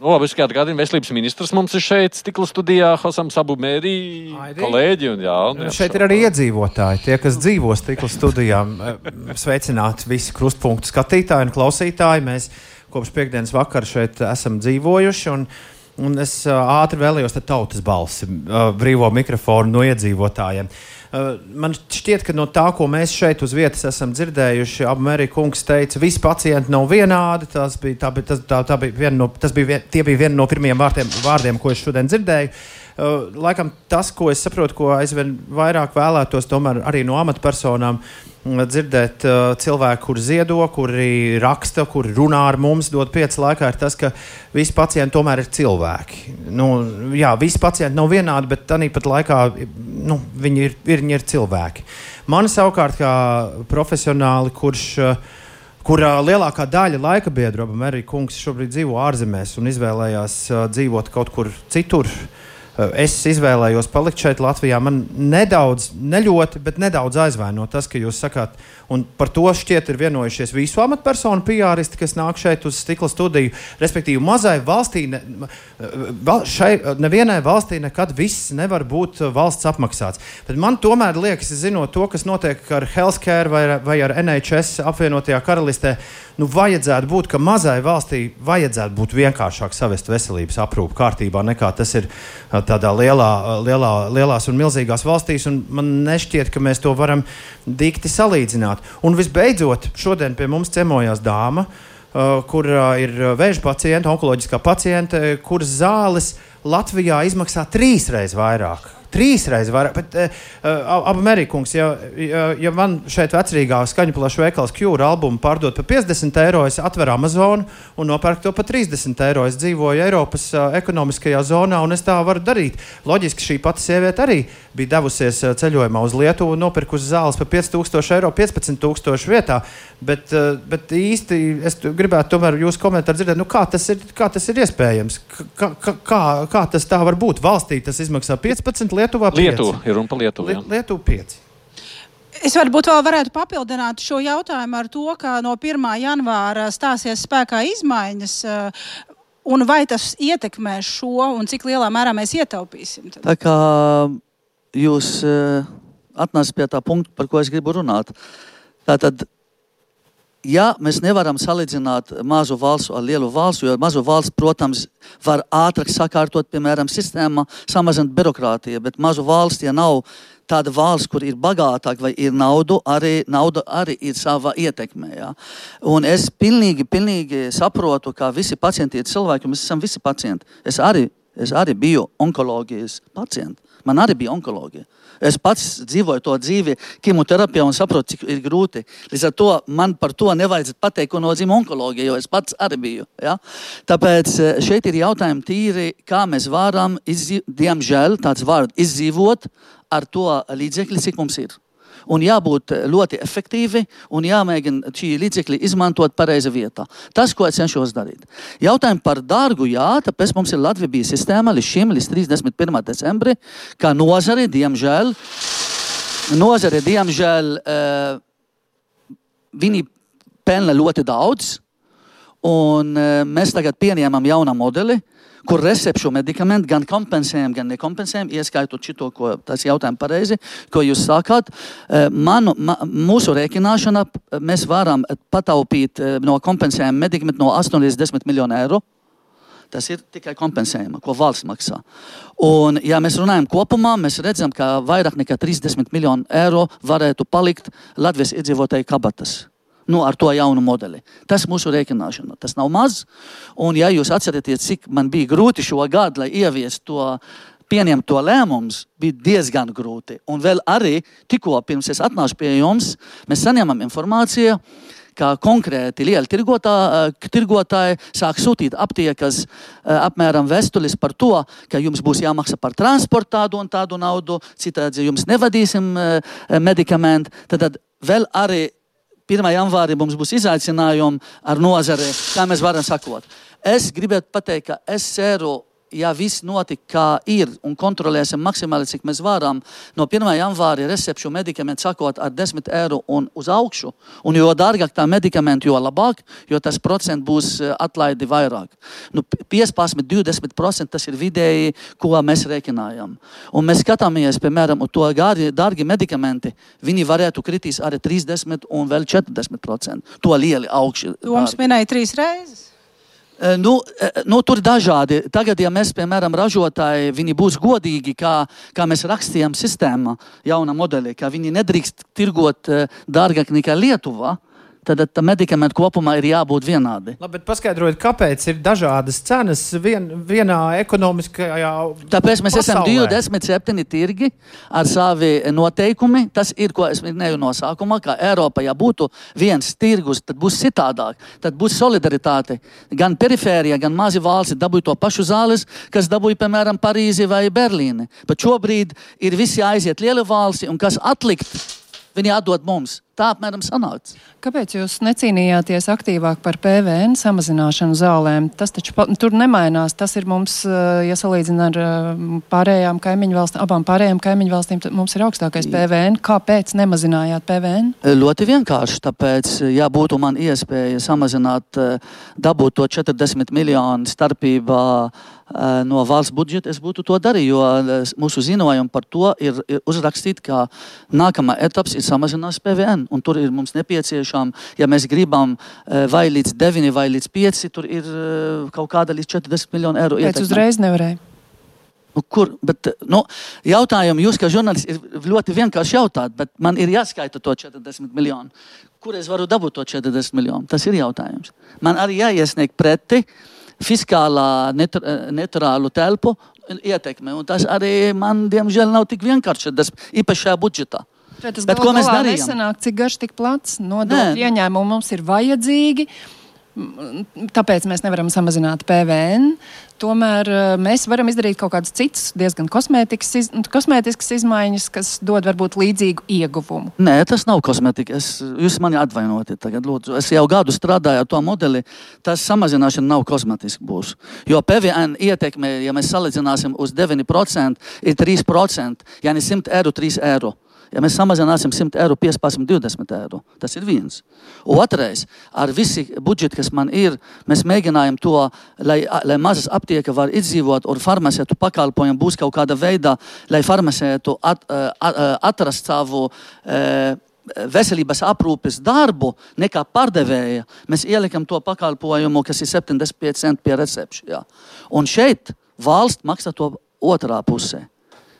Nu, labi, es kā atgādinu, veselības ministrs mums ir šeit stikla studijā, Hosam Sabu Mērī, kolēģi. Un jā, un jā, šeit ir arī iedzīvotāji, tie, kas dzīvo stikla studijā. Sveicināti visi krustpunktu skatītāji un klausītāji. Mēs kopš piekdienas vakara šeit esam dzīvojuši. Un Un es uh, ātri vēlējos tautas balsi, uh, brīvo mikrofonu no iedzīvotājiem. Uh, man šķiet, ka no tā, ko mēs šeit uz vietas esam dzirdējuši, Abu Mērī kungs teica, visi pacienti nav vienādi. Tas bija, tā, bija, tas, tā, tā bija viena no, tas bija, vien, tie bija viena no pirmajiem vārdiem, vārdiem, ko es šodien dzirdēju. Uh, laikam tas, ko es saprotu, ko aizvien vairāk vēlētos tomēr arī no amatpersonām, dzirdēt uh, cilvēku, kuri ziedo, kuri raksta, kuri runā ar mums, dod pieci laikā, ir tas, ka visi pacienti tomēr ir cilvēki. Nu, jā, visi pacienti nav vienādi, bet tāpat laikā nu, viņi, ir, viņi ir cilvēki. Mani savukārt kā profesionāli, kurš, kurā lielākā daļa laika biedru, Abu Mērī kungs šobrīd dzīvo ārzemēs un izvēlējās uh, dzīvot kaut kur citur. Es izvēlējos palikt šeit Latvijā. Man nedaudz, ne ļoti, bet nedaudz aizvaino tas, ka jūs sakāt, un par to šķiet ir vienojušies visu amatpersonu P R-isti, kas nāk šeit uz stikla studiju. Respektīvi, mazai valstī, ne, šai, nevienai valstī nekad viss nevar būt valsts apmaksāts. Bet man tomēr liekas, zinot to, kas notiek ar healthcare vai, vai ar N H S apvienotajā karalistē, nu vajadzētu būt, ka mazai valstī vajadzētu būt vienkāršāk savest veselības aprūpu kārtībā, nekā tas ir tādā lielā, lielā, lielās un milzīgās valstīs, un man nešķiet, ka mēs to varam dikti salīdzināt. Un visbeidzot, šodien pie mums ciemojās dāma, uh, kur uh, ir vēža pacienta, onkoloģiskā pacienta, kuras zāles Latvijā izmaksā trīsreiz vairāk. Trīsreiz vairāk. Bet, uh, Abu Mērī kungs, ja, ja, ja man šeit vecrīgā skaņu plašu veikals Cure albumu pārdot par piecdesmit eiro, es atveru Amazonu un nopērku to par trīsdesmit eiro. Es dzīvoju Eiropas uh, ekonomiskajā zonā un es tā varu darīt. Loģiski šī pati sieviete arī bija devusies uh, ceļojumā uz Lietuvu un nopirkusi zāles par pieci tūkstoši eiro, piecpadsmit tūkstoši vietā. Bet, uh, bet īsti es gribētu tomēr jūsu komentāru dzirdēt, nu kā tas ir, kā tas ir iespējams? Kā, kā, kā tas tā var būt? Valstī tas izmaksā piecpadsmit, Lietuvā pieci. Lietuva, ir runa par Lietuvu. Liet, Lietuva pieci. Es varbūt vēl varētu papildināt šo jautājumu ar to, ka no pirmā janvāra stāsies spēkā izmaiņas, un vai tas ietekmēs šo, un cik lielā mērā mēs ietaupīsim? Tad? Tā kā jūs atnācat pie tā punkta, par ko es gribu runāt. Tātad, ja mēs nevaram salīdzināt mazu valstu ar lielu valstu, jo mazu valsts, protams, var ātrāk sakārtot, piemēram, sistēma, samazināt birokrātiju, bet mazu valsts, ja nav tāda valsts, kur ir bagātāk vai ir naudu, arī, nauda arī ir sava ietekme. Ja? Un es pilnīgi, pilnīgi saprotu, ka visi pacienti ir cilvēki, mēs esam visi pacienti. Es arī, es arī biju onkoloģijas pacienti. Man arī bija onkoloģija. Es pats dzīvoju to dzīvi kemoterapijā un saprotu, cik ir grūti. Līdz ar to man par to nevajadzētu pateikt, ko nozīmē onkoloģija, jo es pats arī biju. Ja? Tāpēc šeit ir jautājumi tīri, kā mēs varam, izdzīv, diemžēl, tāds vārds, izdzīvot ar to līdzekļi, cik mums ir. Un jābūt ļoti efektīvi un jāmēģina šī līdzekļi izmantot pareiza vietā. Tas, ko es cenšos darīt. Jautājumi par dārgu, jā, tāpēc mums ir Latvija bija sistēma līdz šim, līdz trīsdesmit pirmā decembri, kā nozare, diemžēl, nozare, diemžēl, uh, viņi pelna ļoti daudz, Un mēs tagad pieņēmam jaunu modeli, kur recepšu medikamentu gan kompensējam, gan nekompensējam, ieskaitot šito, ko tas jautājums pareizi, ko jūs sākāt. Manu, ma, mūsu rēķināšana mēs varam pataupīt no kompensējuma medikamentu no astoņi līdz desmit miljonu eiro. Tas ir tikai kompensējuma, ko valsts maksā. Un, ja mēs runājam kopumā, mēs redzam, ka vairāk nekā trīsdesmit miljonu eiro varētu palikt Latvijas iedzīvotāju kabatas. Nu, ar to jaunu modeli. Tas mūsu rēķināšana. Tas nav maz. Un, ja jūs atceraties, cik man bija grūti šo gadu, lai ieviest to, pieņemt to lēmums, bija diezgan grūti. Un vēl arī, tikko pirms es atnāšu pie jums, mēs saņemam informāciju, ka konkrēti lieli tirgotāji sāk sūtīt aptiekas apmēram vēstulis par to, ka jums būs jāmaksā par transportu tādu un tādu naudu, citādi jums nevadīsim medikamentu. Tad vēl arī pirmā janvārī mums būs izaicinājumi ar nozari, kā mēs varam sakot. Es gribētu pateikt, ka es ceru, ja viss notika, kā ir, un kontrolēsim maksimāli, cik mēs varam, no pirmā janvāra recepšu medikamentu sakot ar desmit eiro un uz augšu, un jo dārgāk tā medikamentu, jo labāk, jo tas procent būs atlaidi vairāk. Nu, piecpadsmit, divdesmit procenti tas ir vidēji, ko mēs rēķinājam. Un mēs skatāmies, piemēram, to gāri, dārgi medikamenti, viņi varētu kritīs arī trīsdesmit un vēl četrdesmit procenti. To lieli augši. Tu mums minēji trīs reizes. Nu, nu, tur dažādi. Tagad, ja mēs, piemēram, ražotāji, viņi būs godīgi, kā, kā mēs rakstījām sistēmā jauna modelī, ka viņi nedrīkst tirgot dārgāk nekā Lietuva, tad tā medikamenti kopumā ir jābūt vienādi. Labi, bet paskaidrojiet, kāpēc ir dažādas cenas vien, vienā ekonomiskajā Tāpēc mēs pasaulē. Esam divdesmit septiņi tirgi ar savi noteikumi. Tas ir, ko es minēju no sākumā, ka Eiropa, ja būtu viens tirgus, tad būs citādāk. Tad būs solidaritāte. Gan perifērija, gan mazi valsti dabūja to pašu zāles, kas dabūja, piemēram, Parīzi vai Berlīni. Bet šobrīd ir visi aiziet lieli valsti, un kas atlikt, viņi atdod mums. Tā apmēram sanāca. Kāpēc jūs necīnījāties aktīvāk par P V N samazināšanu zālēm? Tas taču pa, tur nemainās. Tas ir mums, ja salīdzina ar pārējām kaimiņu valstīm, abām pārējām kaimiņu valstīm, mums ir augstākais P V N. Kāpēc nemazinājāt P V N? Ļoti vienkārši, tāpēc, ja būtu man iespēja samazināt, dabūt to četrdesmit miljonu starpībā no valsts budžeta, es būtu to darīju, jo mūsu ziņojumi par to ir, ir uzrakstīt, ka nākamā etaps ir samazinās P V N. Un tur ir mums nepieciešām, ja mēs gribam vai līdz deviņi vai līdz pieci, tur ir kaut kāda līdz četrdesmit miljonu eiro ietekme. Pēc uzreiz nevarēja. Nu, kur, bet, nu, jautājumu jūs, kā žurnālists, ir ļoti vienkārši jautāt, bet man ir jāskaita to četrdesmit miljonu. Kur es varu dabūt to četrdesmit miljonu? Tas ir jautājums. Man arī jāiesniegt preti fiskālā netur, neturālu telpu ietekme, un tas arī man, diemžēl, nav tik vienkārši, tas īpaši šajā budžetā. Tas bet ko mēs darījām? Nesanāk, cik garš, tik plats, nodokļu ieņēmumi mums ir vajadzīgi, tāpēc mēs nevaram samazināt P V N. Tomēr mēs varam izdarīt kaut kādas citas diezgan kosmētiskas, iz, kosmētiskas izmaiņas, kas dod varbūt līdzīgu ieguvumu. Nē, tas nav kosmētika. Es, jūs mani atvainojiet tagad, lūdzu. Es jau gadu strādāju ar to modeli. Tas samazināšana nav kosmētiski būs. Jo P V N ietekme, ja mēs salīdzināsim uz deviņi procenti, ir trīs procenti. Ja ne simt eiro, trīs eiro. Ja mēs samazināsim simt eiro, piecpadsmit, divdesmit eiro, tas ir viens. Otrais, ar visi budžeti, kas man ir, mēs mēģinājam to, lai, lai mazas aptieka var izdzīvot un farmacētu pakalpojumu būs kaut kāda veidā, lai farmacētu at, at, atrast savu e, veselības aprūpes darbu nekā pārdevēja. Mēs ielikam to pakalpojumu, kas ir septiņdesmit pieci centi pie recepšu. Un šeit valsts maksā to otrā pusē.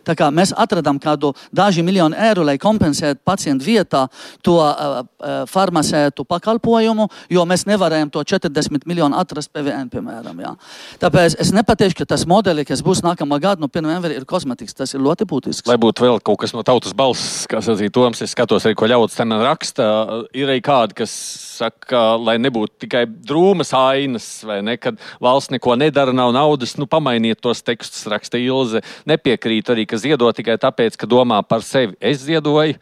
Tā kā mēs atradām kādu daži miljonu eiro, lai kompensētu pacientu vietā to uh, uh, farmacētu pakalpojumu, jo mēs nevarējām to četrdesmit miljonu atrast P V N, piemēram. Jā. Tāpēc es nepateikšu, ka tas modeli, kas būs nākamā gada, no pirmā janvāra ir kosmetikas. Tas ir ļoti būtisks. Lai būtu vēl kaut kas no tautas balss, kā sacīja Toms, es skatos arī, ko ļauts te man raksta, ir arī kādi, kas saka, lai nebūtu tikai drūmas ainas, vai ne, kad valsts neko nedara, nav naudas, nu pamainiet tos tekstus, raksta Ilze, nepiekrīt arī, ka ziedo tikai tāpēc, ka domā par sevi. Es ziedoju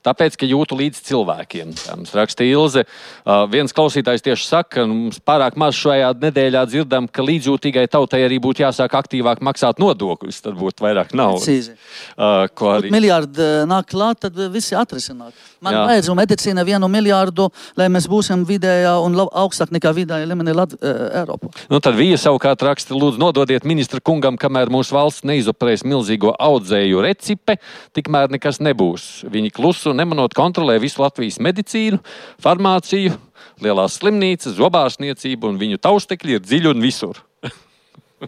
tāpēc, ka jūtu līdz cilvēkiem. Tā mums raksta Ilze. Uh, viens klausītājs tieši saka, ka mums pārāk maz šajā nedēļā dzirdam, ka līdzjūtīgai tautai arī būtu jāsāk aktīvāk maksāt nodokļus, tad būtu vairāk naudas. Uh, arī... Miljārdi nāk klāt, tad visi atrisināt. Man vajadz un medicīna vienu miljārdu, lai mēs būsim vidējā un augstāk nekā vidējā līmenī Lat- Eiropā. Nu, tad Vija savukārt raksta, lūdzu nododiet ministra kungam, kamēr mūsu valsts neizoperēs milzīgo audzēju recipe, tikmēr nekas nebūs. Viņi klusu nemanot kontrolē visu Latvijas medicīnu, farmāciju, lielās slimnīcas, zobārstniecību un viņu taustekļi ir dziļi un visur.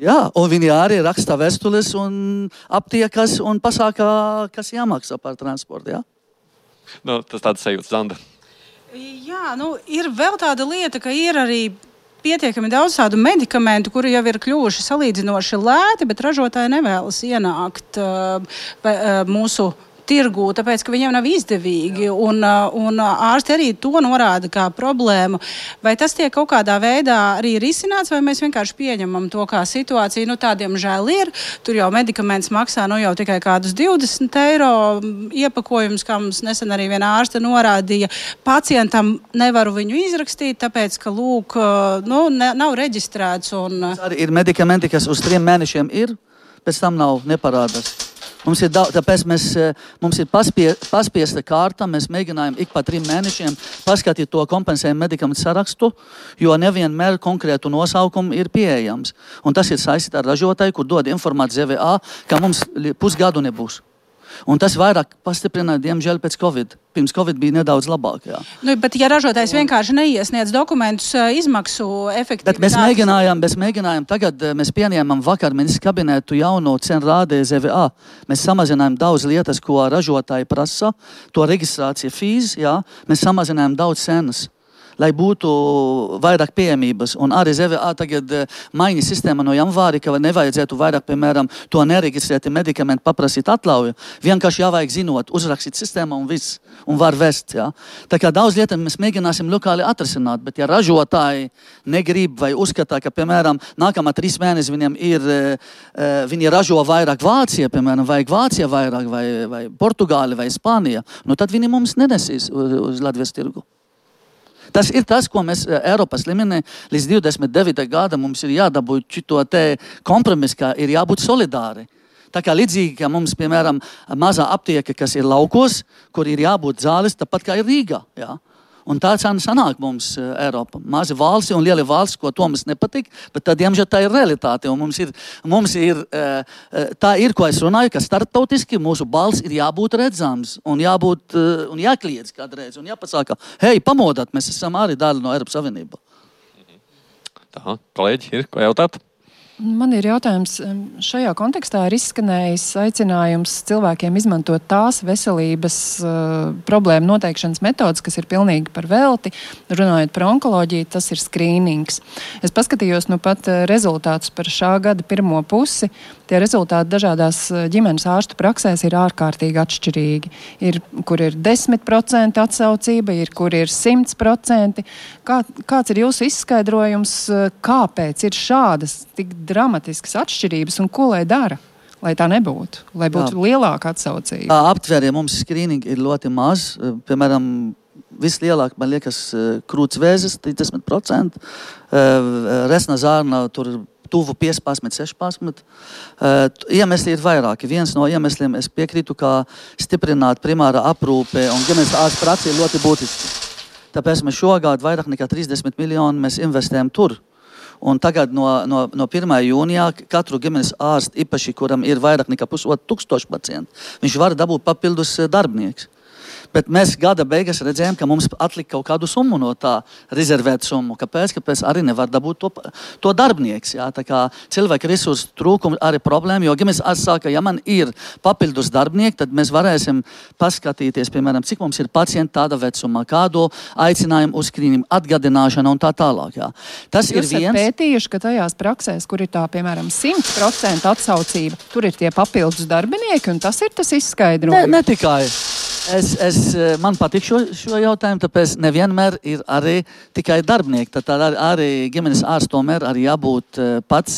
Jā, un viņi arī raksta vēstules un aptiekas un pasākā, kas jāmaksā par transportu, jā? Nu, tas tāds sajūts, Zanda. Jā, nu, ir vēl tāda lieta, ka ir arī pietiekami daudz tādu medikamentu, kuri jau ir kļuvuši salīdzinoši lēti, bet ražotāji nevēlas ienākt uh, uh, mūsu tirgū, tāpēc, ka viņiem nav izdevīgi, un, un ārsti arī to norāda kā problēmu. Vai tas tiek kaut kādā veidā arī risināts, vai mēs vienkārši pieņemam to kā situāciju? Nu, tādiem žēl ir. Tur jau medikaments maksā nu, jau tikai kādus divdesmit eiro iepakojums, kā mums nesen arī viena ārste norādīja. Pacientam nevaru viņu izrakstīt, tāpēc, ka, lūk, nu, ne, nav reģistrēts. Un... Arī ir medikamenti, kas uz trim mēnešiem ir, pēc tam nav neparādās. Mums ir, daudz, tāpēc mēs, mums ir paspie, paspiesta kārta, mēs mēģinājām ik pa trim mēnešiem paskatīt to kompensējumu medikamentu sarakstu, jo nevienmēr konkrētu nosaukumu ir pieejams. Un tas ir saistīts ar ražotāju, kur dod informāciju Z V A, ka mums pusgadu nebūs. Un tas vairāk pastiprināja, diemžēl, pēc Covid. Pirms Covid bija nedaudz labāk. Jā. Nu, bet, ja ražotājs vienkārši neiesniedz dokumentus, izmaksu efektivitātes... Bet mēs mēģinājām, mēs mēģinājām, tagad mēs pieņēmām vakar ministrs kabinetu jauno cenu rādē Z V A. Mēs samazinājām daudz lietas, ko ražotāji prasa, to reģistrācija fīz, jā. Mēs samazinājām daudz cenas, lai būtu vairāk pieejamības. Un arī Z V A tagad maina sistēma no janvāri, ka nevajadzētu vairāk, piemēram, to nereģistrēti medikamentu paprasīt atļauju. Vienkārši jāvajag zinot, uzrakstīt sistēmu un viss, un var vest. Jā. Tā kā daudz lietas mēs mēģināsim lokāli atrisināt, bet ja ražotāji negrib vai uzskatā, ka, piemēram, nākamā trīs mēnesi viņiem ir, viņi ražo vairāk Vācija, piemēram, vajag Vācija vairāk, vai, vai Portugāli, vai Spānija, nu tad viņi mums nenesīs uz, uz Latvijas tirgu. Tas ir tas, ko mēs Eiropas līmenī līdz divdesmit devītajam gadam mums ir jādabū šito te kompromisu, ka ir jābūt solidāri. Tā kā līdzīgi, ka mums, piemēram, mazā aptieka, kas ir laukos, kur ir jābūt zāles, tāpat kā ir Rīgā. Jā. Un tā sanāk mums Eiropa. Mazi valsti un lieli valsts, ko to mums nepatīk, bet tad, diemžēl, tā ir realitāte. Un mums ir, mums ir, tā ir, ko es runāju, ka starptautiski mūsu balss ir jābūt redzams un jābūt, un jākliedz kādreiz un jāpasaka, hei, pamodāt, mēs esam arī daļa no Eiropas Savienībā. Tā, kolēģi, ir ko jautāt? Man ir jautājums, šajā kontekstā ir izskanējis aicinājums cilvēkiem izmantot tās veselības uh, problēmu noteikšanas metodas, kas ir pilnīgi par velti. Runājot par onkoloģiju, tas ir skrīnings. Es paskatījos nu pat rezultātus par šā gada pirmo pusi. Tie rezultāti dažādās ģimenes ārstu praksēs ir ārkārtīgi atšķirīgi. Ir, kur ir desmit procenti atsaucība, ir, kur ir simt procenti. Kā, kāds ir jūsu izskaidrojums, kāpēc ir šādas tik dramatiskas atšķirības un ko lai dara, lai tā nebūtu, lai būtu Jā. lielāka atsaucība? Aptvērie mums skrīningi ir ļoti maz. Piemēram, vislielāk, man liekas, krūts vēzis, trīsdesmit procenti, resna zārna tur tuvu piecpadsmit, sešpadsmit. Uh, iemesli ir vairāki. Viens no iemesliem es piekrītu, ka stiprināt primāra aprūpe un ģimenes ārsta prakse ir ļoti būtiski. Tāpēc mēs šogad vairāk nekā trīsdesmit miljonu mēs investējam tur. Un tagad no, no, no pirmā jūnijā katru ģimenes ārstu, īpaši, kuram ir vairāk nekā pusotru tūkstošu pacientu, viņš var dabūt papildus darbinieks. Bet mēs gada beigās redzējām, ka mums atlika kaut kādu summu no tā rezervēt summu. Kāpēc? Kāpēc arī nevar dabūt to, to darbnieks. Jā? Tā kā cilvēku resursu trūkums arī problēma, jo ģimenes ārsts saka, ja man ir papildus darbnieki, tad mēs varēsim paskatīties, piemēram, cik mums ir pacienti tāda vecumā, kādu aicinājumu uz skrīningu, atgādināšanu un tā tālāk. Jā. Tas Jūs ir viens. Jūs esat pētījuši, ka tajās praksēs, kur ir tā, piemēram, simt procenti atsaucība, tur ir tie papildus darbinieki, un tas ir tas izskaidrojums. Ne, ne tikai. Es, es, man patīk šo, šo jautājumu, tāpēc nevienmēr ir arī tikai darbinieki. Tad arī, arī ģimenes ārsts tomēr arī jābūt pats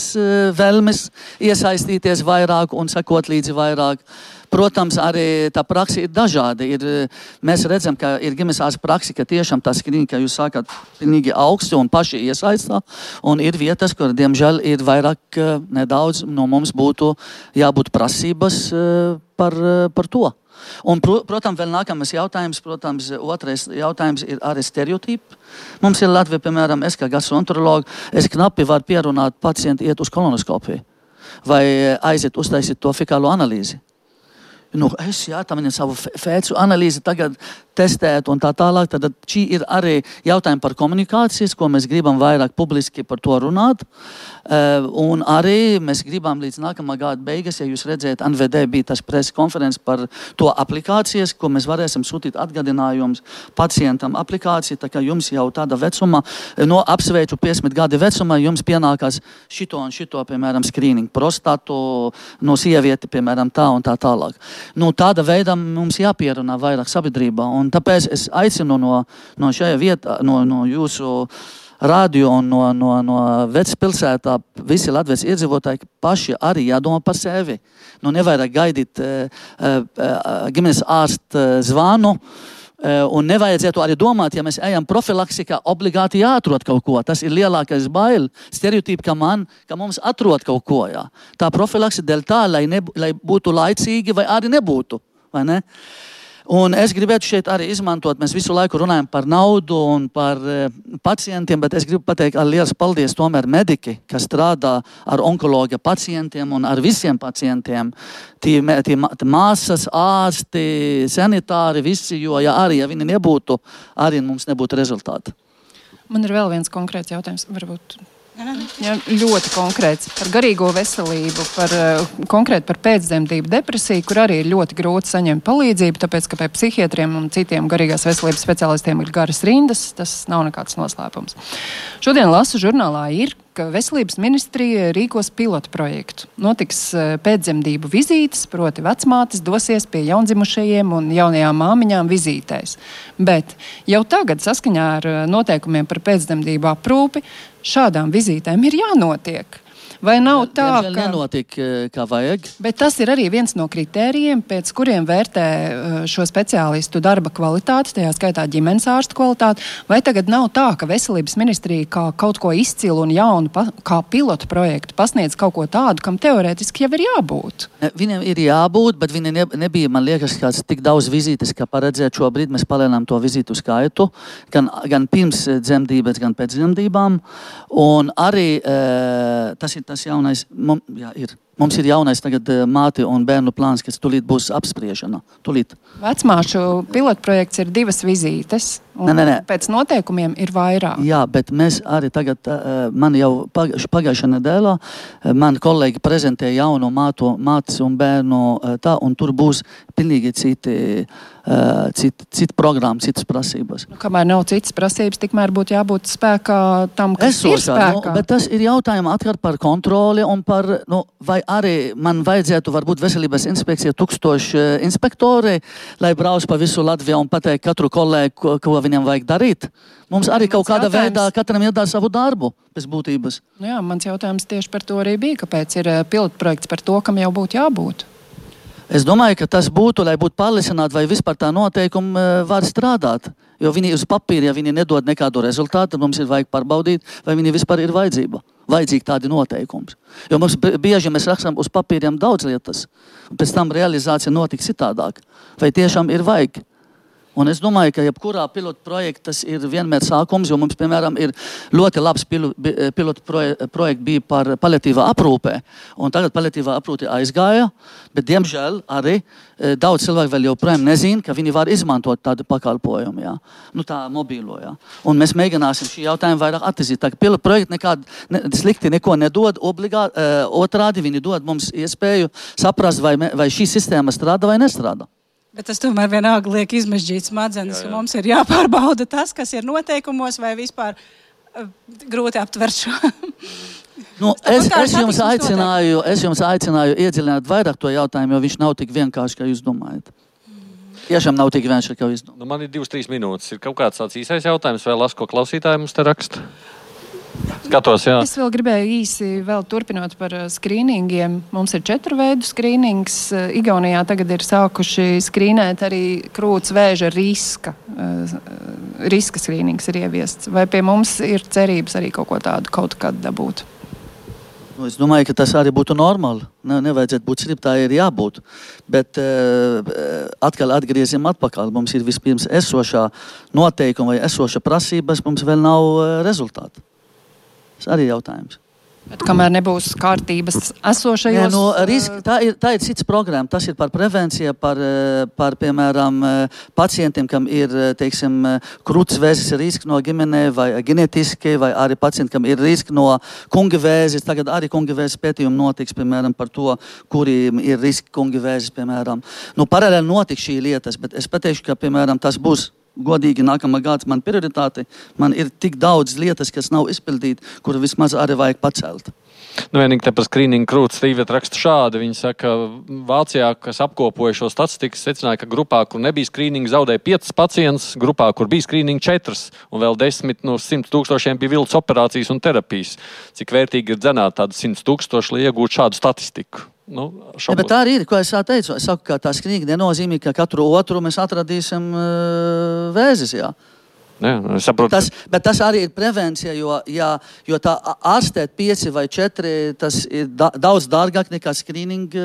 vēlmes iesaistīties vairāk un sekot līdzi vairāk. Protams, arī tā praksa ir dažāda. Ir, mēs redzam, ka ir ģimenes ārsta praksa, ka tiešām tā skrīna, ka jūs sākat pilnīgi augsti un paši iesaistā. Un ir vietas, kur, diemžēl, ir vairāk nedaudz no mums būtu jābūt prasības par, par to. Un, protams, vēl nākamais jautājums, protams, otrais jautājums ir arī stereotipi. Mums ir Latvija, piemēram, es kā gastroenterologu, es knapi varu pierunāt pacientu iet uz kolonoskopiju vai aiziet uztaisīt to fekālo analīzi. Nu, es, jā, tam viņam savu fēcu analīzi tagad testēt un tā tālāk. Tad šī ir arī jautājumi par komunikācijas, ko mēs gribam vairāk publiski par to runāt. Uh, un arī mēs gribam līdz nākamā gada beigas, ja jūs redzēt, N V D bija tas preses konferences par to aplikācijas, ko mēs varēsim sūtīt atgadinājums pacientam aplikāciju, tā kā jums jau tāda vecuma, no apsveicu piecdesmit gadi vecumā, jums pienākās šito un šito, piemēram, skrīningu, prostatu, no sievieti, piemēram, tā un tā tālāk. Nu, tāda veida mums jāpierunā vairāk sabiedrībā, un tāpēc es aicinu no, no šajā vietā, no, no jūsu radio un no, no, no vecpilsētā visi Latvijas iedzīvotāji paši arī jādomā par sevi. Nu, nevajag gaidīt uh, uh, ģimenes ārsta zvanu, uh, un nevajadzētu arī domāt, ja mēs ejam profilaksikā, obligāti jāatrod kaut ko. Tas ir lielākais bail, stereotipi, ka, man, ka mums atrod kaut ko. Jā. Tā profilakse dēļ tā, lai, ne, lai būtu laicīgi vai arī nebūtu. Vai ne? Un es gribētu šeit arī izmantot, mēs visu laiku runājam par naudu un par e, pacientiem, bet es gribu pateikt ar liels paldies tomēr mediki, kas strādā ar onkologa pacientiem un ar visiem pacientiem. Tie, tie māsas, ārsti, sanitāri, visi, jo ja arī, ja viņi nebūtu, arī mums nebūtu rezultāti. Man ir vēl viens konkrēts jautājums, varbūt... Ja, ļoti konkrēts par garīgo veselību, par, konkrēti par pēcdzemdību depresiju, kur arī ir ļoti grūti saņemt palīdzību, tāpēc, ka pie psihiatriem un citiem garīgās veselības speciālistiem ir garas rindas, tas nav nekāds noslēpums. Šodien lasu žurnālā ir, ka veselības ministrija rīkos pilotu projektu. Notiks pēcdzemdību vizītes, proti vecmātes dosies pie jaundzimušajiem un jaunajām māmiņām vizītēs. Bet jau tagad saskaņā ar noteikumiem par pēcdzemdību aprūpi šādām vizītēm ir jānotiek. Vai nav tā, ka... nenotiek, kā vajag. Bet tas ir arī viens no kritērijiem, pēc kuriem vērtē šo speciālistu darba kvalitāti, tajā skaitā ģimenes ārstu kvalitāti. Vai tagad nav tā, ka veselības ministrija kā kaut ko izcilu un jaunu, kā pilotu projektu pasniedz kaut ko tādu, kam teorētiski jau ir jābūt? Ne, viņiem ir jābūt, bet viņi ne, nebija, man liekas, kāds tik daudz vizītes, kā paredzēt šobrīd. Mēs palielinām to vizītu skaitu, gan, gan pirms dzemdības, gan pēc dzemdībām. Un arī e, tas ir tas jaunais, mums, jā, ir. Mums ir jaunais tagad māti un bērnu plāns, kas tulīt būs apspriešana. Tulīt. Vecmāšu pilotprojekts ir divas vizītes, un ne, ne, ne. pēc noteikumiem ir vairāk. Jā, bet mēs arī tagad, man jau pagājušā nedēļā, man kolēģi prezentēja jaunu mātu, mātes un bērnu tā, un tur būs pilnīgi citi, citi, citi programma, citas prasības. Nu, kamēr nav citas prasības, tikmēr būtu jābūt spēkā tam, kas Esošā, ir spēkā. Nu, bet tas ir jautājums atkal par kontroli un par, nu, vai arī man vajadzētu varbūt veselības inspekcija tūkstoši inspektori, lai brauc pa visu Latviju un pateikt katru kolēģi, ko, ko viņam vajag darīt. Mums arī kaut kāda jautājums... veidā katram iedara savu darbu pēc būtības. Jā, mans jautājums tieši par to arī bija, kāpēc ir pilotprojekts par to, kam jau būtu jābūt. Es domāju, ka tas būtu, lai būtu pārliecināti, vai vispār tā noteikumi var strādāt. Jo viņi uz papīra, ja viņi nedod nekādu rezultātu, tad mums ir vajag pārbaudīt, vai viņi vispār ir vajadzība. Vajadzīgi tādi noteikumi. Jo mums bieži mēs rakstām uz papīriem daudz lietas, un pēc tam realizācija notika citādāk. Vai tiešām ir vajag? Un es domāju, ka jebkurā pilotu projekta tas ir vienmēr sākums, jo mums, piemēram, ir ļoti labs pilotu projekts bija par paliatīvā aprūpē. Un tagad paliatīvā aprūpe aizgāja, bet, diemžēl, arī daudz cilvēku vēl joprojām nezina, ka viņi var izmantot tādu pakalpojumu, jā. Nu, tā mobīlo, jā. Un mēs mēģināsim šī jautājumu vairāk attīstīt. Tā pilotu projekti nekādi ne, slikti neko nedod, obligāti, otrādi viņi dod mums iespēju saprast, vai, vai šī sistēma strādā vai nestrādā. Bet tas tomēr vienalga liek izmežģīt smadzenes, ka mums ir jāpārbauda tas, kas ir noteikumos, vai vispār uh, grūti aptvert šo. Nu, es, es, jums aicināju, es jums aicināju iedziļināt vairāk to jautājumu, jo viņš nav tik vienkārši, kā jūs domājat. Tiešām nav tik vienkārši, kā jūs domājat. Nu, man ir divas, trīs minūtes. Ir kaut kāds tāds īsais jautājums, vai las, ko klausītāji mums te raksta? Skatos, jā. Es vēl gribēju īsi vēl turpinot par skrīningiem. Mums ir četru veidu skrīnings. Igaunijā tagad ir sākuši skrīnēt arī krūts vēža riska. Riska skrīnings ir ieviests. Vai pie mums ir cerības arī kaut ko tādu kaut kad dabūt? Es domāju, ka tas arī būtu normāli. Ne, nevajadzētu būt slimt, tā ir jābūt. Bet uh, atkal atgriezim atpakaļ. Mums ir vispirms esošā noteikuma vai esoša prasības, mums vēl nav uh, rezultāti. Tas arī jautājums. Bet kamēr nebūs kārtības esošajos... Nē, no, riski, tā, ir, tā ir cits programma. Tas ir par prevenciju, par, par piemēram, pacientiem, kam ir, teiksim, krūts vēzis risks no ģimenē vai ģenetiski, vai arī pacienti, kam ir risks no kunga vēzis. Tagad arī kunga vēzis pētījumi notiks, piemēram, par to, kuriem ir riski kunga vēzis, piemēram. Nu, paralēli notiks šī lietas, bet es pateikšu, ka, piemēram, tas būs godīgi nākamā gads man prioritāte. Man ir tik daudz lietas, kas nav izpildīti, kur vismaz arī vajag pacelt. Nu, vienīgi te par skrīningu krūts Stīvēt raksta šādi. Viņi saka, Vācijā, kas apkopoja šo statistiku, secināja, ka grupā, kur nebija skrīninga, zaudēja piecas pacients, grupā, kur bija skrīninga četras, un vēl desmit no simt tūkstošiem bija viltus operācijas un terapijas. Cik vērtīgi ir dzenāt tādu simt tūkstoši, lai iegūtu šādu statistiku? Nu, ja, bet tā arī ir, ko es teicu. Es saku, ka tā skrīninga nenozīmē, ka katru otru mēs atradīsim uh, vēzis, jā. Jā, es saprotu. Tas, bet tas arī ir prevencija, jo, jā, jo tā ārstēt pieci vai četri, tas ir da, daudz dārgāk nekā skrīninga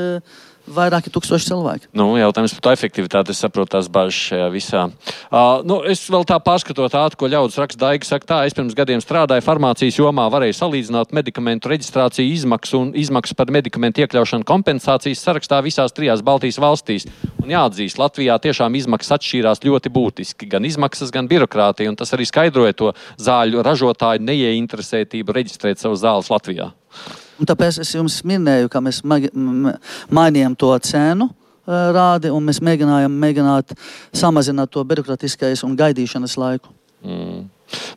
vairāki tūkstoši cilvēki. Nu, jautājums par to efektivitāti, es saprotu tās bažas šajā visā. Uh, nu, es vēl tā pārskatot ātri, ko ļaudis raksta Daiga, saka tā, es pirms gadiem strādāju farmācijas jomā, varēju salīdzināt medikamentu reģistrāciju izmaksu un izmaksu par medikamentu iekļaušanu kompensācijas sarakstā visās trijās Baltijas valstīs. Un jāatzīst, Latvijā tiešām izmaksas atšķīrās ļoti būtiski, gan izmaksas, gan birokrātija, un tas arī skaidroja to zāļu ražotāju neieinteresētību reģistrēt savu zāles Latvijā. Un tāpēc es jums minēju, ka mēs mainījām to cenu rādi, un mēs mēģinājām mēģināt samazināt to birokrātiskais un gaidīšanas laiku. Mm.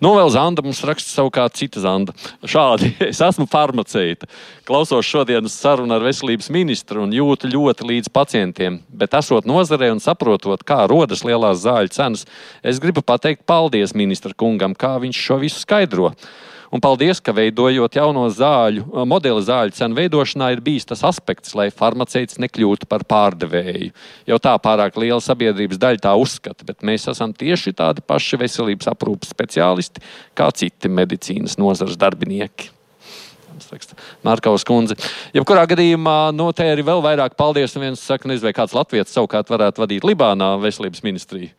Nu, vēl Zanda mums raksta savukārt cita Zanda. Šādi, es esmu farmaceita. Klausos šodienas sarunu ar veselības ministru un jūtu ļoti līdz pacientiem, bet esot nozarē un saprotot, kā rodas lielās zāļu cenas, es gribu pateikt paldies ministra kungam, kā viņš šo visu skaidro. Un paldies, ka veidojot jauno zāļu, modeli zāļu cenu veidošanā ir bijis tas aspekts, lai farmaceits nekļūtu par pārdevēju. Jau tā pārāk liela sabiedrības daļa tā uzskata, bet mēs esam tieši tādi paši veselības aprūpas speciālisti, kā citi medicīnas nozares darbinieki. Mārkaus kundze. Jebkurā gadījumā, no te arī vēl vairāk paldies, un viens saka, nezinu, vai kāds latviets savukārt varētu vadīt Libānā veselības ministriju.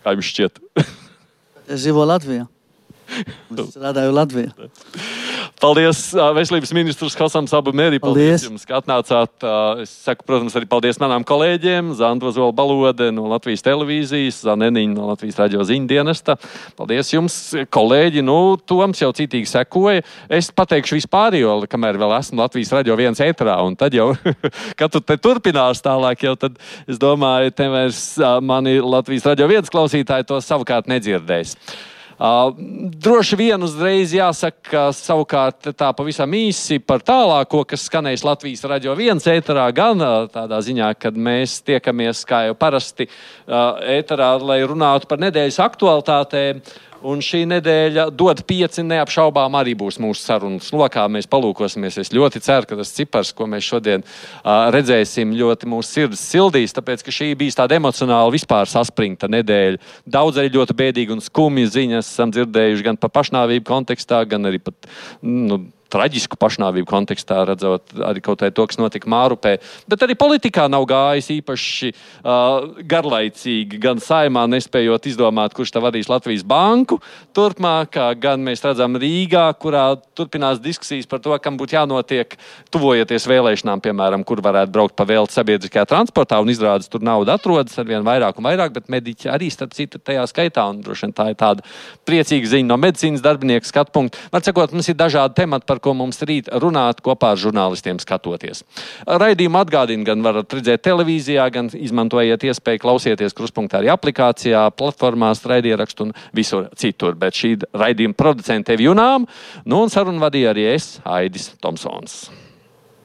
Kā jums šķiet? Es dzīvoju Latvijā. Es strādāju Latvijā. Paldies, veselības ministrs Hosams Abu Meri. Paldies jums, ka atnācāt. Es saku, protams, arī paldies manām kolēģiem. Zanda Ozola Balode no Latvijas televīzijas, Zaneniņa no Latvijas radio ziņu dienesta. Paldies jums, kolēģi. Nu, Toms jau citīgi sekoja. Es pateikšu vispār, jo, kamēr vēl esmu Latvijas radio viens ētrā, un tad jau, kad tu te turpinās tālāk, jau tad, es domāju, te vairs mani Latvijas radio viens klausītāji to savukārt nedzirdēs. Uh, droši vien uzreiz jāsaka, ka savukārt tā pavisam īsi par tālāko, kas skanēs Latvijas radio viens ēterā, gan uh, tādā ziņā, kad mēs tiekamies, kā jau parasti, uh, ēterā, lai runātu par nedēļas aktualitātēm. Un šī nedēļa dod pieci neapšaubām arī būs mūsu sarunas lokā. Mēs palūkosimies. Es ļoti ceru, ka tas cipars, ko mēs šodien uh, redzēsim, ļoti mūsu sirdis sildīs, tāpēc, ka šī bijis tāda emocionāli vispār saspringta nedēļa. Daudz arī ļoti bēdīgi un skumji ziņas esam dzirdējuši gan par pašnāvību kontekstā, gan arī pat, nu, traģisku pašnāvību kontekstā, redzot arī kaut vai to, kas notika Mārupē. Bet arī politikā nav gājis īpaši uh, garlaicīgi, gan saimā nespējot izdomāt, kurš tā vadīs Latvijas banku turpmāk, gan mēs redzam Rīgā, kurā turpinās diskusijas par to, kam būtu jānotiek tuvojoties vēlēšanām, piemēram, kur varētu braukt pa velti sabiedriskajā transportā, un izrādes tur nauda atrodas arvien vairāk un vairāk, bet mediķi arī starp citu tajā skaitā, un droši vien tā ir tāda priecīga ziņa no medicīnas darbinieku skatu punktu. Var sakot, mums ir dažādi temati, par ko mums rīt runāt kopā ar žurnālistiem skatoties. Raidījumu atgādina, gan varat redzēt televīzijā, gan izmantojiet iespēju klausieties Kruspunktā arī aplikācijā, platformās, raidierakstu un visur citur. Bet šī raidījuma producente tevi Junām, nu un sarunu vadīja arī es, Aidis Tomsons.